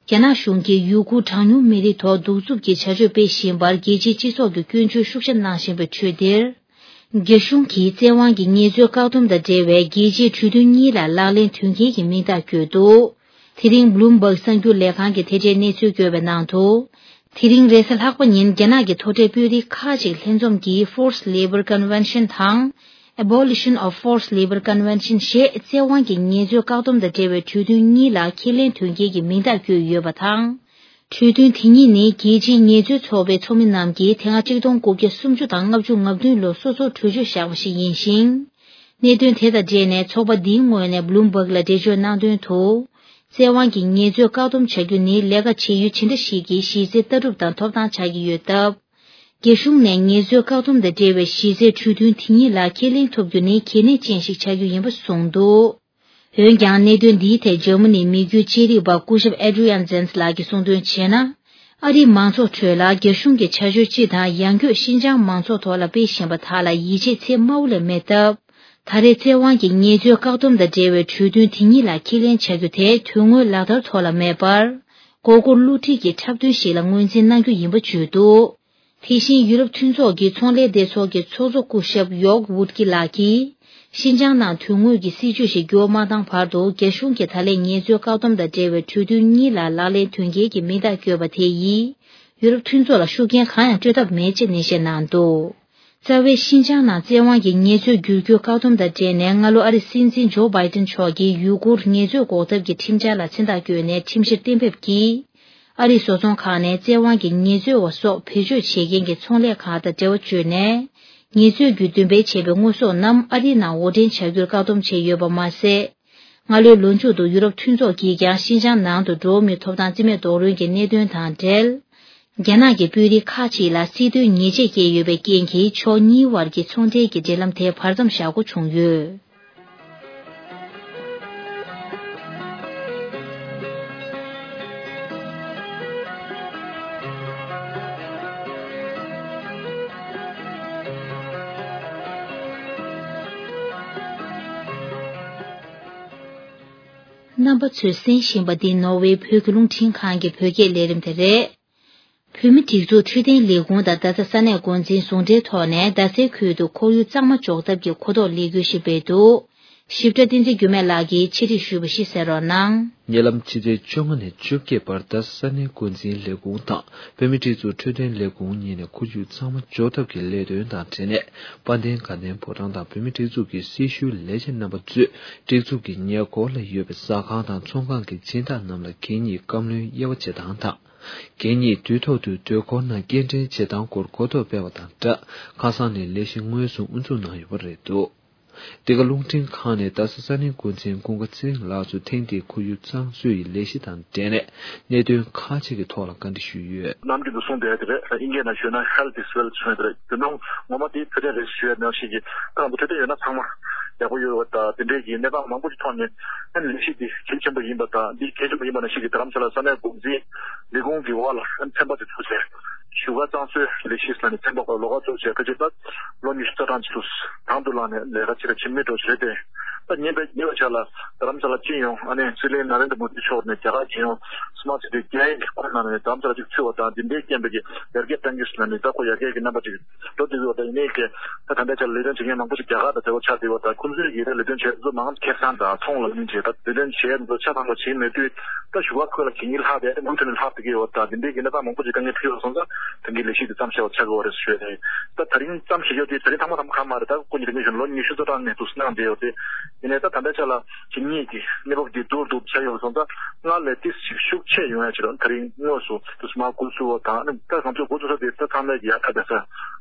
རྒྱ་ནག་གཞུང་གིས་ཡུ་གུར་གྲངས་ཉུང་མི་རིགས་ཐོག་གདུག་རྩུབ་ཀྱི་བྱ་སྤྱོད་སྤེལ་བཞིན་པར་རྒྱལ་སྤྱིའི་སྤྱི་ཚོགས་ཀྱིས་སྐྱོན་བརྗོད་ཤུགས་ཆེ་གནང་བཞིན་པའི་ཁྲོད་འདིར། རྒྱ་གཞུང་གིས་བཙན་དབང་གིས་ངལ་རྩོལ་བཀག་སྡོམ་དང་འབྲེལ་བའི་རྒྱལ་སྤྱིའི་གྲོས་མཐུན་གཉིས་ལ་ལག་ལེན་དོན་འཁྱོལ་གྱི་མིང་རྟགས་བཀོད་འདུག་དེ་རིང་Bloomberg་གསར་འགྱུར་ལས་ཁང་གིས་དེ་འབྲེལ་གནས་ཚུལ་བཀོད་པའི་ནང་དུ། དེ་རིང་རེས་གཟའ་ལྷག་པ་ཉིན་རྒྱ་ནག་གི་མཐོ་གྲས་དཔོན་རིགས་ཁག་ཅིག་ལྷན་འཛོམས་ཀྱིས་Forced Labor Convention དང་Abolition of Forced Labor Convention ཞེས་བཙན་དབང་གིས་ངལ་རྩོལ་བཀག་སྡོམ་དང་འབྲེལ་བའི་གྲོས་མཐུན་གཉིས་ལ་ཁས་ལེན་དོན་འཁྱོལ་གྱི་མིང་རྟགས་བཀོད་ཡོད་པ་དང་། གྲོས་མཐུན་དེ་གཉིས་ནི་རྒྱལ་སྤྱིའི་ངལ་རྩོལ་ཚོགས་པའི་ཚོགས་མི་རྣམས་ཀྱིས་དེ་སྔ་ཆིག་སྟོང་དགུ་བརྒྱ་སུམ་ཅུ་དང་ལྔ་བཅུ་ང་བདུན་ལོར་སོ་སོར་གྲོས་ཆོད་བཞག་པ་ཞིག་ཡིན་ཞིང་། གནད་དོན་དེ་དང་འབྲེལ་ནས་ཚོགས་པ་འདིའི་ངོས་ནས་Bloomberg་ལ་འགྲེལ་བརྗོད་གནང་དོན་དུ། བཙན་དབང་གིས་ངལ་རྩོལ་བཀག་སྡོམ་བྱ་རྒྱུ་ནི་ལས་ཀ་བྱེད་ཡུལ་ཇི་འདྲ་ཞིག་གི་གཞི་རྩའི་ལྟ་གྲུབ་དང་ཐོབ་ཐང་ཆགས་ཀྱི་ཡོད་སྟབས། རྒྱ་གཞུང་ནས་ངལ་རྩོལ་བཀག་སྡོམ་དང་འབྲེལ་བའི་གཞི་རྩའི་གྲོས་མཐུན་དེ་གཉིས་ལ་ཁས་ལེན་ཐུབ་རྒྱུ་ནི་གལ་གནད་ཅན་ཞིག་ཆགས་རྒྱུ་ཡིན་པ་གསུངས་འདུག་འོན་ཀྱང་གནད་དོན་འདིའི་ཐད་འཇར་མ་ནིའི་མི་རྒྱུད་དཔྱད་རིག་པ་སྐུ་ཞབས་Adrian Zenz་ལགས་ཀྱིས་གསུངས་དོན་བྱས་ན། ཨ་རིའི་མང་ཚོགས་ཁྲོད་ལ་རྒྱ་གཞུང་གི་བྱ་སྤྱོད་སྤྱི་དང་ཡང་སྒོས་ཤིན་ཅང་མང་ཚོགས་ཐོག་ལ་སྤེལ་བཞིན་པ་དག་ལ་ཡིད་ཆེས་ཚད་དམའ་བོ་ལས་མེད་སྟབས། ད་རེས་བཙན་དབང་གིས་ངལ་རྩོལ་བཀག་སྡོམ་དང་འབྲེལ་བའི་གྲོས་མཐུན་དེ་གཉིས་ལ་ཁས་ལེན་བྱ་རྒྱུ་དེ་དོན་དངོས་ལག་བསྟར་ཐོག་ལ་མེད་པར། མགོ་སྐོར་བསླུ་བྲིད་ཀྱི་འཁྲབ་སྟོན་ཞིག་ལ་ངོས་འཛིན་གནང་རྒྱུ་ཡིན་པ་བརྗོད་འདུག་དེ་བཞིན་ཡུ་རོབ་མཐུན་ཚོགས་ཀྱི་ཚོང་ལས་སྡེ་ཚོགས་ཀྱི་ཚོགས་གཙོ་སྐུ་ཞབས་ཡོག་ཝུད་ཀི་ལགས་ཀྱིས། ཤིན་ཅང་ནང་དོན་དངོས་ཀྱི་སྲིད་བྱུས་ཤིག་འགྱུར་བ་མ་བཏང་བར་དུ་རྒྱ་གཞུང་གིས་ད་ལན་ངལ་རྩོལ་བཀག་སྡོམ་དང་འབྲེལ་བའི་གྲོས་མཐུན་གཉིས་ལ་ལག་ལེན་དོན་འཁྱོལ་གྱི་མིང་རྟགས་བཀོད་པ་དེ་ཡིས། ཡུ་རོབ་མཐུན་ཚོགས་ལ་ཤུགས་རྐྱེན་གང་ཡང་སྤྲོད་ཐབས་མེད་ཅེས་ནན་བཤད་གནང་འདུག་རྩ་བའི་ཤིན་ཅང་ནང་བཙན་དབང་གིས་ངལ་རྩོལ་བསྒྱུར་བཀོལ་བཀག་སྡོམ་དང་འབྲེལ་ནས་སྔ་ལོ་ཨ་རིའི་སྲིད་འཛིན་ཇོ་བྷའི་ཏིན་མཆོག་གིས་ཡུ་གུར་ངལ་རྩོལ་འགོག་ཐབས་ཀྱི་ཁྲིམས་འཆར་ལ་མཚན་རྟགས་བཀོད་ནས་ཁྲིམས་གཞིར་གཏན་འབེབས་ཀྱིས། ཨ་རིའི་བཟོ་ཚོང་ཁང་ནས་བཙན་དབང་གིས་ངལ་རྩོལ་བ་སོགས་བེད་སྤྱོད་བྱེད་མཁན་གྱི་ཚོང་ལས་ཁང་དང་འབྲེལ་བ་བཅད་ནས། ངལ་རྩོལ་བརྒྱུད་འདོན་སྤེལ་བྱས་པའི་དངོས་ཟོག་རྣམས་ཨ་རིའི་ནང་དབོར་འདྲེན་བྱ་རྒྱུར་བཀག་སྡོམ་བྱས་ཡོད་པ་མ་ཟད། སྔ་ལོའི་ལོ་མཇུག་ཏུ་ཡུ་རོབ་མཐུན་ཚོགས་ཀྱིས་ཀྱང་ཤིན་ཅང་ནང་དུ་འགྲོ་བ་མིའི་ཐོབ་ཐང་རྩིས་མེད་རྡོག་རོལ་གྱི་གནད་དོན་དང་འབྲེལ། རྒྱ་ནག་གི་དཔོན་རིགས་ཁག་ཅིག་ལ་སྲིད་དོན་ཉེས་ཆད་བཀལ་ཡོད་པའི་རྐྱེན་གྱིས་ཕྱོགས་གཉིས་དབར་གྱི་ཚོང་འབྲེལ་གྱི་འབྲེལ་ལམ་དེ་བར་མཚམས་བཞག་དགོས་བྱུང་ཡོད། རྣམ་པ་ཚོས་གསན་བཞིན་པ་འདི་ནོར་ཝེ་བོད་ཀྱི་རླུང་འཕྲིན་ཁང་གི་བོད་སྐད་ལས་རིམ་དེ་རེད། བོད་མིའི་སྒྲིག་འཛུགས་འཕྲོད་བསྟེན་ལས་ཁུངས་དང་རྡ་ས་ས་གནས་འགོ་འཛིན་ཟུང་འབྲེལ་ཐོག་ནས་རྡ་སའི་ཁུལ་དུ་ཁོར་ཡུག་གཙང་མ་འཇོག་ཐབས་ཀྱི་གོ་རྟོགས་ལས་འགུལ་ཞིག་སྤེལ་འདུག་ཞིབ་ཕྲ་བསྟན་འཛིན་འགྱུར་མེད་ལགས་ཀྱིས་ཕྱི་དྲིལ་ཞུས་པ་ཞིག་གསན་རོགས་གནང་། ཉེ་ལམ་ཕྱི་ཚེས་བཅོ་ལྔ་ནས་བཅོ་བརྒྱད་བར་རྡ་ས་ས་གནས་འགོ་འཛིན་ལས་ཁུངས་དང་བོད་མིའི་སྒྲིག་འཛུགས་འཕྲོད་བསྟེན་ལས་ཁུངས་གཉིས་ནས་ཁོར་ཡུག་གཙང་མ་འཇོག་ཐབས་ཀྱི་ལས་དོན་དང་འབྲེལ་ནས་དཔལ་ལྡན་དགའ་ལྡན་ཕོ་བྲང་དང་བོད་མིའི་སྒྲིག་འཛུགས་ཀྱི་སྲི་ཞུའི་ལས་བྱེད་རྣམ་པ་ཚོས་སྒྲིག་འཛུགས་ཀྱི་ཉེ་འཁོར་ལ་ཡོད་པའི་ཟ་ཁང་དང་ཚོང་ཁང་གི་སྦྱིན་བདག་རྣམས་ལ་གད་སྙིགས་བཀབ་ལེན་དབྱེ་བ་འབྱེད་སྟངས་དང་། གད་སྙིགས་དུས་ཐོག་ཏུ་སྡོད་ཁང་ནང་སྐྱེལ་འདྲེན་བྱེད་སྟངས་སྐོར་གོ་རྟོགས་སྤེལ་བ་དང་སྦྲགས་ཁ་སང་ནས་ལས་གཞི་དངོས་སུ་དབུ་འཛུགས་གནང་ཡོད་པ་རེད་འདུག་འདི་ག་རླུང་འཕྲིན་ཁང་ནས་རྡ་ས་ས་གནས་འགོ་འཛིན་ཀུན་དགའ་ཚེ་རིང་ལགས་ཚོ་ཐེངས་འདིའི་ཁོར་ཡུག་གཙང་བཟོ་ཡི་ལས་གཞི་དང་འབྲེལ་ནས་གནད་དོན་ཁག་ཅིག་གི་ཐོག་ལ་བཀའ་འདྲི་ཞུས་ཡོད། ནམ་རྒྱུན་དུ་གསུངས་བསྡད་དེ་རེད། དབྱིན་སྐད་ནང་ཞུས་ན་Health is Wealth གསུངས་ཡོད་རེད། དེ་ནང་ངོ་མ་དེ་ཐུབ་བསྟན་རེད་ཞུ་ཡ་ནང་བཞིན་གྱི་ཁོ་རང་ཚོ་འཕྲོད་བསྟེན་ཡོད་ན་ཚང་མ་ཡག་པོ་ཡོད་པ་དང་དེ་འདྲའི་གི་གནས་སྟངས་མང་པོ་ཞིག་མཐོང་ནས་ཨ་ནི་ལས་གཞི་འདི་གལ་ཆེན་པོ་ཡིན་པ་དང་འདི་གལ་ཆེན་པོ་ཡིན་པ་ནང་བཞིན་གྱི་རྡ་རམ་ས་ལ་ས་གནས་འགོ་འཛིན་ལས་ཁུངས་ཀྱི་འོག་ལ་ཨ་ནི་ཚན་པ་དེ་ཚུགས་བྱས་བཞུགས་སྒར་གཙང་བཟོའི་ལས་གཞི་ཟེར་ནས་ཚན་པ་ཁག་ལོགས་ཀ་ཚུགས་བྱས་ཕལ་ཆེར་ད་ལོ་ཉི་ཤུ་རྩ་གྲངས་ཅིག་ཏུ་དང་དུ་བླངས་ནས་ལས་ཀ་ཅིག་ལ་ཕྱིན་མི་འགྲོ་བྱས་ཏེ་ད་ཉིན་པའི་ཉེ་བའི་ཆར་ལ་རྡ་རམ་ས་ལ་སྤྱི་ཡོངས་ཨ་ནི་སྲིད་བློན་ན་རེན་དྲ་མོ་དི་མཆོག་ནས་རྒྱ་གར་རྒྱལ་ཡོངས་ དམག་ཆེ་དེ་རྒྱ་ཡན་གྱི་ཁོ་ནང་ནས་དམ་ཚ་ཅིག་ཚུད་པ་དང་། འདི་འདྲའི་རྐྱེན་པས་ཀྱི་ཡར་རྒྱས་གཏང་གི་ཟེར་ནས་ད་ཁོ་ཡར་རྒྱས་ཀྱི་རྣམ་པ་ཅིག་འགྲོ་བསྡད་ཡོད། ད་ཡིན་ནའི་ཀྱི་ད་ད་ལྟའི་ཆར་ལས་དོན་བྱེད་མཁན་མང་པོ་ཞིག་རྒྱ་གར་དང་འབྲེལ་བ་ཆགས་བསྡད་ཡོད། ད་ཁོང་ཚོའི་གི་ད་ལས་དོན་བྱེད་ཚོ་མང་ཁེ་བཟང་དང་ཚོང་ལ་ལུས་བྱེད། ད་ལས་དོན་བྱེད་ཚོ་ཆ་ཚང་པོ་བྱེད་མེད་དུས་ད་ཞུ་བ་ཁོ་ལ་གད་སྙིགས་ལྷག་བསྡད། མུ་མཐུད་ནས་ལྷག་བསྡད་ཀྱི་ཡོད། ད་འདི་འདྲའི་གི་གནས་སྟངས་མང་པོ་ཞིག་དཀའ་ངལ་འཕྲད་ཡོད་སོང་ཙང་ད་གི་ལས་གཞི་འདི་མཚམས་བཞག་པ་ཆགས་ཀྱི་ཡོད་རེད་ཟེར་ཞུས་ནས། ད་ད་རིང་མཚམས་བཞག་ཡོད་དེ་ད་རིང་ཐང་མ་ཐང་མ་གང་མ་རེད། ད་སྐུ་ཉིད་རིང་མོ་ཞིག་ལོ་ཉི་ཤུ་རྩ་གྲངས་ནས་འདུག་གནང་བསྡད་ཡོད་དེ། ཡིན་ནའི་ད་ད་ལྟའི་ཆ་ལ་གད་སྙིགས་ཀྱི་གནས་བབ་འདི་སྡུག་སྡུག་ཆགས་ཡོད་སོང་ཙང་སྔར་ལས་ཏིས་ཤིག་ཤུགས་ཆེ་ཡོང་ཡ་ཆེད་དུ་ད་རིང་དངོས་སུ་དུ་སྨར་ཁུལ་ཚུད་པ་དང་། ཨ་ནི་ད་ང་ཚོས་འགོ་བཙུགས་ས་དེ་ད་ཚང་མས་ཀྱི་ཡ་ད་བསྡད་ས་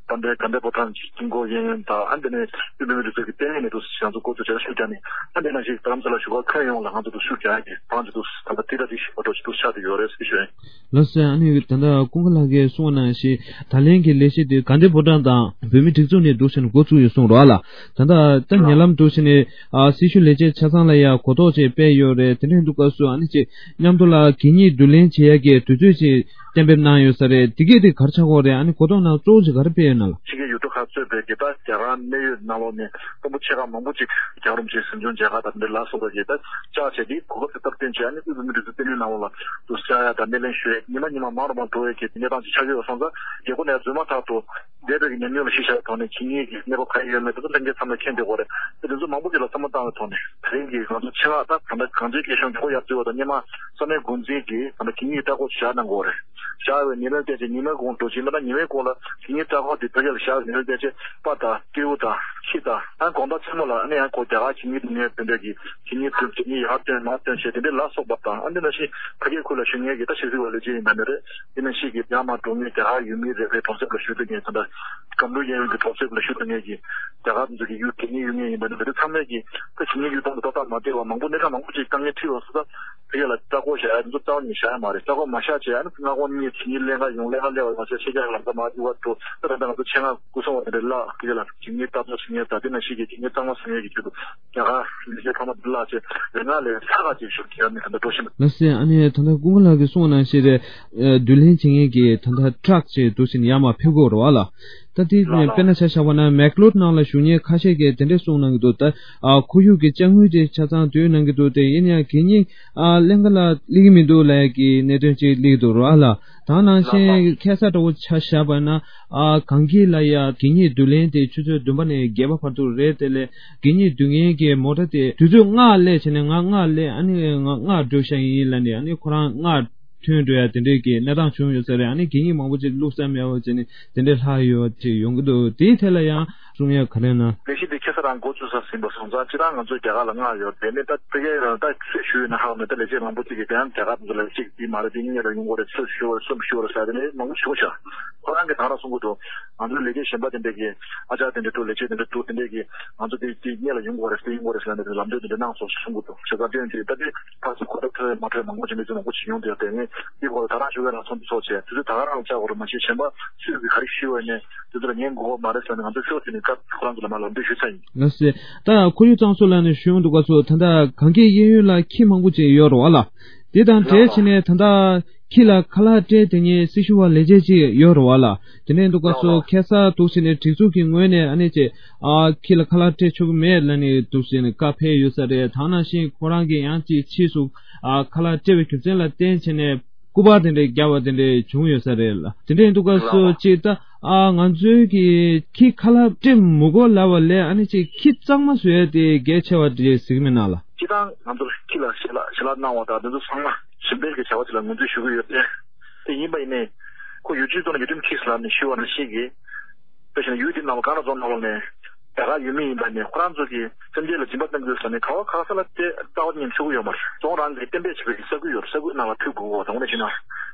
བན་དེ་དགའ་ལྡན་ཕོ་བྲང་གི་དཀྱིལ་འཁོར་གཡས་གཡོན་དང་། ཨ་ནི་དེ་ནས་དབུས་བོད་མིའི་སྒྲིག་འཛུགས་ཀྱི་ལྟེ་གནས་ནས་དུ་ང་ཚོ་འགོ་བཙུགས་བྱས་ཤུགས་རྒྱག་ནས། ཨ་ནི་དེ་ནང་བཞིན་རྡ་རམ་ས་ལ་བཞུགས་སྒར་ཁྱོན་ཡོངས་ལ་ང་ཚོ་དུ་ཤུགས་རྒྱག་ཡ་གི་ཐང་ཅིག་དུ་ད་ལྟ་དེ་ལ་དེ་ཞིག་པ་འགྲོ་ཅིག་དུ་ཆགས་བསྡད་ཡོད་རེད་ཟེར་ཞུ་ཡ་ཡིན། ལགས་སོ། ཨ་ནི་ད་ལྟ་ཀུན་དགའ་ལགས་ཀྱིས་གསུངས་པ་ནང་བཞིན་ད་ལན་གྱི་ལས་གཞི་དེ་དགའ་ལྡན་ཕོ་བྲང་དང་བོད་མིའི་སྒྲིག་འཛུགས་ནས་འདུག་ཟེར་ནས་འགོ་བཙུགས་ཡོད་གསུངས་རོགས་ཨ་ལ། ད་ལྟ་ད་ཉེ་ལམ་འདུག་ཟེར་ནས་ཨ་སྲི་ཞུ་ལས་བྱེད་ཆ་ཚང་ལ་ཡང་གོ་རྟོགས་ཅིག་སྤེལ་ཡོད་རེད། དེ་འདྲའི་འདུག་སྐབས་སུ་ཨ་ནི་ཅིག་མཉམ་དུ་ལ་གད་སྙིགས་བསྡུ་ལེན་བྱེད་ཡ་གི་དུས་ཚོད་ཅིག་གཏན་འབེབས་གནང་ཡོད་ས་རེད། དེ་གས་དེ་ག་རེ་ཆགས་ཀྱི་ཡོད་རེད། ཨ་ནི་གོ་རྟོགས་ནང་གཙོ་བོ་ཅིག་ག་རེ་སྤེལ་ཡོད་ན་ལ། ཕྱི་རྒྱལ་ཡུལ་གྲུ་ཁག་གཙོས་པའི་གི་ད་རྒྱ་གར་གནད་ཡོད་ནང་ལོགས་ནས་དཔོན་པོ་ཆེ་ཁག་མང་པོ་ཅིག་རྒྱལ་བ་རིན་པོ་ཆེའི་གཟིམ་ཆུང་མཇལ་ཁ་དང་དེ་འདྲ་ལ་སོགས་པ་གི་ད་བཅར་བྱས་ཏེ་གོ་སྐབས་དེ་སྟབས་བསྟུན་བྱས། ཨ་ནི་དབུས་བོད་མིའི་སྒྲིག་འཛུགས་ལྟེ་གནས་ནང་ལོགས་ལ་དུ་བཅར་ཡ་དང་སྣེ་ལེན་ཞུ་ཡ་ཉི་མ་ཉི་མ་མང་རུ་མང་འགྲོ་བའི་གི་གནས་སྟངས་ཅིག་ཆགས་ཀྱི་ཡོད་སོང་ཙང་། རྒྱལ་སྒོ་ནས་རྫུན་མ་ཐག་ཏུ་འདས་པའི་གི་ཉམས་མྱོང་ལ་གཞི་བཞག་པའི་ཐོག་ནས་གད་སྙིགས་ཀྱི་གནས་བབ་ག་རེ་ཡོད་མེད་དེ་ཚོ་ལྷན་རྒྱས་ཚང་མས་མཁྱེན་བསྡད་ཡོད་རེད། དེ་ཚོ་མང་པོ་ཅིག་ལ་བསམ་བློ་བཏང་བའི་ཐོག་ནས་དེ་རིང་གི་ང་ཚོ་ཆེད་མངགས་ད་ད་ལྟ་གངས་ཅན་སྐྱིད་གཤོངས་མགྱོགས་པོ་ཡར་འཛུལ་བ་དང་། སྔོན་མ་ས་གནས་འགོ་འཛིན་གྱིས་ད་ལྟ་གད་སྙིགས་བཀྲ་ཤིས་བཞག་གནང་དགོས་རེད། བཞག་པའི་ཉིན་རེ་བལྟས་ཚེ་ཉི་མའི་གུང་འགྲོ་ཕྱིན་ད་ལྟ་ཉི་མའི་གུང་ལ་གད་སྙིགས་བཀྲ་ཤིས་དེ་ཕ་གི་ལ་བཞག་པའི་ཉིན་རེ་བལྟས་ཚེ་པར་དང་སྤྲེའུ་དང་ཁྱི་དང་། ཨ་ནི་དགོང་དག་མཚན་མོ་ལ་ཨ་ནི་ཡང་ཁོ་རྒྱ་གར་གད་སྙིགས་འདུ་ཁང་དེ་འདྲ་གི་གད་སྙིགས་བཏོན། གད་སྙིགས་ཡར་བཏོན་མར་བཏོན་བྱས་དེ་འདྲ་ལ་སོགས་པ་དང་། ཨ་ནི་ནང་བཞིན་ཕ་གིའི་ཁུལ་ལ་བཞུགས་མཁན་གྱི་ད་ཕྱི་སྲིད་པ་ལས་བྱེད་ཡིན་པ་ནི་རེད། དེ་ནང་བཞིན་གྱི་རྒྱ་དམར་འགྲོ་མཁན་རྒྱ་གར་ཡུལ་མི་རེ་རེའི་གྲོང་གསེབ་ལ་བཞུགས་བསྡད་མཁན་ད་ལྟ་སྒམ་པོ་གཡས་གཡོན་གྱི་གྲོང་གསེབ་ལ་བཞུགས་བསྡད་མཁན་གྱི་རྒྱ་གར་ཚོ་གི་ཡུལ་གད་སྙིགས་གཡུག་མཁན་ཡིན་པ་ནི་འདི་ཚང་མས་ཀྱི་ད་གད་སྙིགས་གཡུག་སྟངས་དེ་ཏག་ཏག་མ་བལྟས་པ་མང་པོ་གནས་སྟངས་མང་པོ་ཅིག་དཀའ་ངལ་འཕྲད་ཡོང་སོང་ཙང་། དེ་ཡ་ལ་ལྟ་སྐོར་བྱ་ཡ་དེ་ཚོ་རྩ་བ་ནས་བཞག་ཡ་མ་རེད། ལྟ་སྐོར་མ་བཞག་བྱས་ཨ་ནི་སྔ་དགོང་གཉིད་གད་སྙིགས་ལེན་ག་ཡོང་། ལེན་ག་སླེབས་པ་མ་ཟད་ཕྱི་རྒྱལ་ལ་ལམ་ཁ་མར་རྒྱུག་ག་འགྲོ། ད་ད་ལྟ་ང་ཚོ་ཆེད་མངགས་སྐུ་སྲུང་བ་དེ་འདྲ་ལ་དེ་ལ་གད་སྙིགས་ལྟ་རྟོག་བྱེད་མཁན་དང་དེ་ནང་བཞིན་གྱི་གད་སྙིགས་གཙང་མ་བཟོ་མཁན་གྱི་ཆེད་དུ་རྒྱ་གར་ལས་བྱེད་ཚང་མ་འདི་ལ་བྱས་རེ་ང་ལས་ས་ག་ཅིག་ཞུ་གི་ཡ་ནི་ད་ལྟ་འགྲོ་བཞིན་པ། ལགས་སེ། ཨ་ནི་ད་ལྟ་ཀུན་དགའ་ལགས་ཀྱིས་གསུངས་པ་ནང་བཞིན་རེད། བསྡུ་ལེན་བྱེད་མཁན་གྱི་ད་ལྟ་ཊྲག་ཅིག་འདུག་ཟེར་ནས་ཡར་མར་ཕེབས་ཀྱི་ཡོད་རེད་བ་ལ། ད་དེ་ལགས་ལགས། དཔེར་ན་ཆ་བཞག་པ་ན་མེག་ལོར་ནང་ལ་བཞུགས་མཁན་ཁ་ཤས་ཀྱིས་དེ་འདྲས་གསུངས་གནང་གི་འདུག་ད་ཨ་ཁོར་ཡུག་གི་དཔྱ་དངུལ་དེ་ཆ་ཚང་བསྡུས་གནང་གི་འདུག་དེ་ཡིན་ཡང་གད་སྙིགས་ཨ་ལེན་ག་ལ་སླེབས་ཀྱི་མི་འདུག་ལབ་ཀྱི་གནད་དོན་ཅིག་སླེབས་ཀྱི་འདུག་ར་ལ། ད་ནང་བཞིན་ལགས་ལགས། ཁ་སང་འདྲ་བོ་ཆ་བཞག་པ་ན་ཨ་གངས་སྐྱིད་ལ་ཡ་གད་སྙིགས་བསྡུ་ལེན་དེ་ཆུ་ཚོད་བདུན་པ་ནས་བརྒྱད་པ་བར་དུ་རེད། དེ་ལས་གད་སྙིགས་བསྡུ་མཁན་གྱི་མོ་ཊ་དེ་དུས་ཚོད་ལྔ་སླེབས་བྱས་ནས་ང་ལྔ་སླེབས། ཨ་ནི་ང་ལྔ་འགྲོ་ཤག་ཡིན་ལབ་ནས་ཨ་ནི་ཁོ་རང་ལྔ་ཐོན་འགྲོ་ཡ་དེ་འདྲའི་གི་གནས་སྟངས་བྱུང་ཡོད་ས་རེད། ཨ་ནི་གད་སྙིགས་མང་པོ་ཅིག་བླུགས་ས་མེད་པ་བྱས་ནས་དེ་འདྲའི་ལྷག་ཡོད་ཅིག་ཡོང་གི་འདུག་དེའི་ཐད་ལ་ཡང་གསུང་ཡ་ག་རེ་ན། ལས་གཞི་འདི་ཁ་སང་རང་འགོ་བཙུགས་ས་ཟིན་པ་སོང་ཙང་སྤྱིར་བཏང་ང་ཚོ་རྒྱ་གར་ལ་མངགས་ཡོད་དེ་ནས་ད་ཕ་གིར་ད་ཚུད་ཞུས་ཡོད་ན་ཧ་གོ་མེད། ད་ལས་བྱེད་མང་པོ་ཅིག་གིས་དེ་ཡང་རྒྱ་གར་ཚོ་ལ་གཅིག་འདི་མ་རེད། འདི་སྔོན་ལ་ཡོང་དགོས་རེད། ཚུར་ཞུ་བར་གསུམ་ཞུ་བར་ཟེར་དེ་ནས་མང་པོ་བྱུང་ཤག་ཁོ་རང་གིས་ད་རང་གསུང་གི་འདུག་ང་ཚོའི་ལས་བྱེད་གཞན་པ་དེ་འདྲས་ཀྱིས་ཨ་ཅག་དེ་འདྲས་འདུག་ལས་བྱེད་དེ་འདྲས་འདུག་དེ་འདྲས་ཀྱིས་ང་ཚོ་དེ་དེ་སྔོན་ལ་ཡོང་དགོས་རེད། དེ་ཡོང་དགོས་རེད་ཟེར་ནས་ལམ་སྟོན་དེ་འདྲས་གནང་སོང་གསུང་གི་འདུག་བྱས་ཙང་དེ་ཡང་དེ་ད་དེ་ཕར་ཚུར་གོ་སྐབས་ཐོབ་ཡ་མ་ཐོབ་ཡ་མང་པོ་ཅིག་གནས་ཚུལ་མང་པོ་ཅིག་ཡོང་བསྡད་ཡོད། དེ་ངས་འདི་སྐོར་ལ་ད་རང་ཞུ་བའི་རང་མཚམས་འདི་ཚོགས་བྱས་དུས་ཚོད་ད་ག་རང་བཅག་དགོས་རེད། མ་གཞི་གཞན་པ་སུས་ཀྱིས་ག་རེ་ཞུས་པ་ནས་དེ་ཚོ་ལ་ཉན་དགོས་པ་མ་རེད་ཟེར་ནས་ང་ཚོ་ཤོག་དེ་ནས་སྐབས་ཁོ་རང་ཚོ་ལ་མར་ལམ་སྟོན་ཞུས་ཚར་ཡིན། ལགས་སེ། ད་ཁོར་ཡུག་གཙང་བཟོ་ལབ་ནས་ཞུ་ཡོང་འདུག་ག་ཚོ་ད་ལྟ་གངས་སྐྱིད་གཡས་གཡོན་ལ་ཁྱི་མང་པོ་ཅིག་ཡོད་རེད་བ་ལ། དེ་དང་འབྲེལ་བྱས་ནས་ད་ལྟ་ཁྱི་ལ་ཁ་ལག་སྤྲད་དེ་ཉིད་སྲི་ཞུ་བ་ལས་བྱེད་ཅིག་ཡོད་རེད་བ་ལ། དེ་ནས་འདུག་ག་སོ་ཁ་སང་འདུག་ཟེར་ནས་སྒྲིག་འཛུགས་ཀྱི་ངོས་ནས་ཨ་ནི་ཅེ་ཨ་ཁྱི་ལ་ཁ་ལག་སྤྲད་ཆོག་གི་མེད་ལབ་ནས་འདུག་ཟེར་ནས་བཀའ་ཕེབས་ཡོད་ས་རེད། ད་ནང་བཞིན་ཁོ་རང་གིས་ཡང་ཅིག་ཕྱིས་སུ་ཨ་ཁ་ལག་སྤྲད་པའི་རྒྱུ་མཚན་ལ་བརྟེན་བྱས་ནས་སྐུ་པར་དེ་འདྲས་བརྒྱབ་པ་དེ་འདྲས་བྱུང་ཡོད་ས་རེད་ལ། དེ་འདྲས་འདུག་ག་སོ་ཅིག་ད་ཨ་ང་ཚོའི་གི་ཁྱི་ཁ་ལག་སྤྲད་མི་དགོས་ལབ་པ་ལས་ཨ་ནི་ཅིག་ཁྱི་གཙང་མ་བཟོ་ཡ་དེ་གལ་ཆེ་བ་འདྲས་གཟིགས་མི་སྣང་ལ། སྤྱིར་བཏང་ང་ཚོར་ཁྱི་ལ་ཞལ་ལག་ཞལ་ལག་གནང་བ་དང་དེ་ཚོ་ཚང་མ་གཞན་ཕན་གྱི་བྱ་བ་ཅིག་ལ་ངོས་འཛིན་ཞུ་གི་ཡོད་དེ། དེ་ཡིན་པ་ཡིན་ནའི་ཁོ་ཡུལ་སྤྱིའི་ཐོག་ནས་ཡུལ་ཁྲིམས་འཁྱེར་ཟེར་ལབ་ནས་ཞུས་པ་ནང་བཞིན་གྱི། དེ་བཞིན་ཡུལ་དེ་ནང་ལ་གང་ལ་རྫོང་ནང་ལོགས་ནས་རྒྱ་གར་ཡུལ་མི་ཡིན་པ་ནས་ཁོ་རང་ཚོ་གི་སེམས་ཅན་ལ་སྦྱིན་པ་གཏང་གི་ཡོད་ཟེར་ནས་ག་བ་ག་ས་ལ་དེ་རྩ་བ་ཉིད་ཆོག་གི་ཡོད་མ་རེད། རྫོང་རང་གི་གཏན་འབེབས་བྱས་པའི་ས་ཁུལ་ཡོད་རེད། ས་ཁུལ་ནང་ལ་ཕུད་དགོས་གོ། དང་པོ་ནས་བྱས་ན་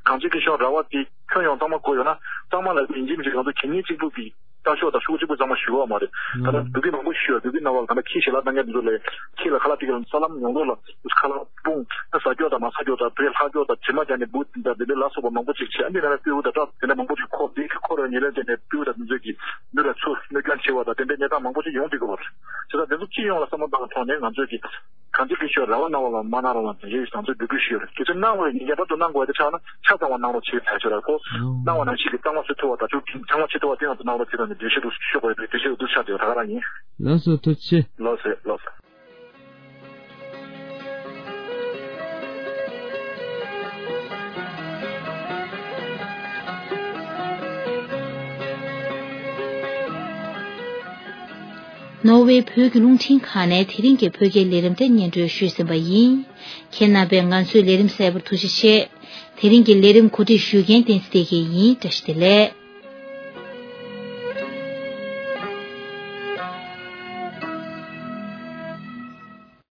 གངས་ཅན་སྐྱིད་གཤོངས་ར་བ་དེ་ཁྱོན་ཡོངས་གཙང་མ་དགོས་ཡོད་ན་གཙང་མ་ལ་ཡིན་གཅིག་མིན་གཅིག་ང་ཚོ་གད་སྙིགས་གཅིག་པུ་གི་ལྟ་ཕྱོགས་དང་ཤོག་གཅིག་པུ་གཙང་མ་ཞུ་གི་ཡོད་མ་རེད། ད་ལྟ་བོད་ཁྱི་མང་པོ་ཞིག་ཡོད། བོད་ཁྱི་རྣམ་པ་ལ་ད་ལྟ་ཁྱི་ཞལ་ལག་གཏང་མཁན་དེ་ཚོ་ལས་ཁྱི་ལ་ཁ་ལག་སྟེར་གི་ཡོད་ན་ས་ལམ་ཡོངས་རྫོགས་ལ་ཁ་ལག་སྤུངས་ན་ཟ་སྐྱོག་དང་མ་ཟ་སྐྱོག་དང་བོད་ལྷ་སྐྱོག་དང་དྲི་མ་རྒྱག་ནས་འབུ་དང་དེ་འདྲའི་ལ་སོགས་པ་མང་པོ་ཅིག་བྱས། ཨ་ནི་ད་ལྟ་སྤྲེའུ་དང་སྐྲ་དེ་འདྲ་མང་པོ་ཅིག་འཁོར། དེ་འཁོར་བའི་ཉེར་ལེན་དེ་ནས་སྤྲེའུ་དང་དེ་ཚོས་ཀྱིས་མི་ལ་ཚུར་གནོད་སྐྱོན་བྱེད་པ་དང་དེ་འདྲའི་གནས་སྟངས་མང་པོ་ཅིག་ཡོང་བསྡད་ཀྱི་ཡོད་རེད། བྱས་ཙང་དེ་ཚོ་སྤྱི་ཡོངས་ལ་བསམ་བློ་བཏང་བའི་ཐོག་ནས་ང་ཚོས་ཀྱི་གངས་ཅན་སྐྱིད་གཤོངས་ར་བ་གནང་བ་ལ་མ་གནང་རོགས་གནང་ཟེར་ཞེས་ང་ཚོས་འབོད་སྐུལ་ཞུས་ཡོད་རེད། དེ་ཚོ་གནང་བའི་ཉིན་རྒྱབ་ཏུ་གནང་དགོས་དེ་ཆགས་ན་ཆ་ཚང་བ་གནང་རོགས་བྱེད་ཟེར་ཞུ་ར། ཁོ་གནང་བ་ནང་བཞིན་གྱི་གཙང་མ་བཟོ་ཐུབ་པ་དང་ཆུ་གྲང་མ་བྱེད་ཐུབ་པ་དེ་ང་ཚོ་གནང་རོགས་བྱེད་དང་འབྲེལ་བཤད་དུ་ཤོག་དགོས་པའི་འབྲེལ་བཤད་དུ་ཆགས་བསྡད་ཡོད། ད་ག་རང་ཡིན། ལགས་སོ། ཐུགས་རྗེ་ཆེ། ལགས་སོ་ལགས་སོ། ནོར་ཝེ་བོད་ཀྱི་རླུང་འཕྲིན་ཁང་ནས་དེ་རིང་གི་བོད་སྐད་ལས་རིམ་དེ་སྙན་སྒྲོན་ཞུས་ཟིན་པ་ཡིན། ཁྱེད་རྣམ་པས་ང་ཚོའི་ལས་རིམ་གསན་པར་ཐུགས་རྗེ་ཆེ། དེ་རིང་གི་ལས་རིམ་གོ་སྒྲིག་ཞུ་མཁན་བསྟན་འཛིན་བདེ་སྐྱིད་ཡིན། བཀྲ་ཤིས་བདེ་ལེགས།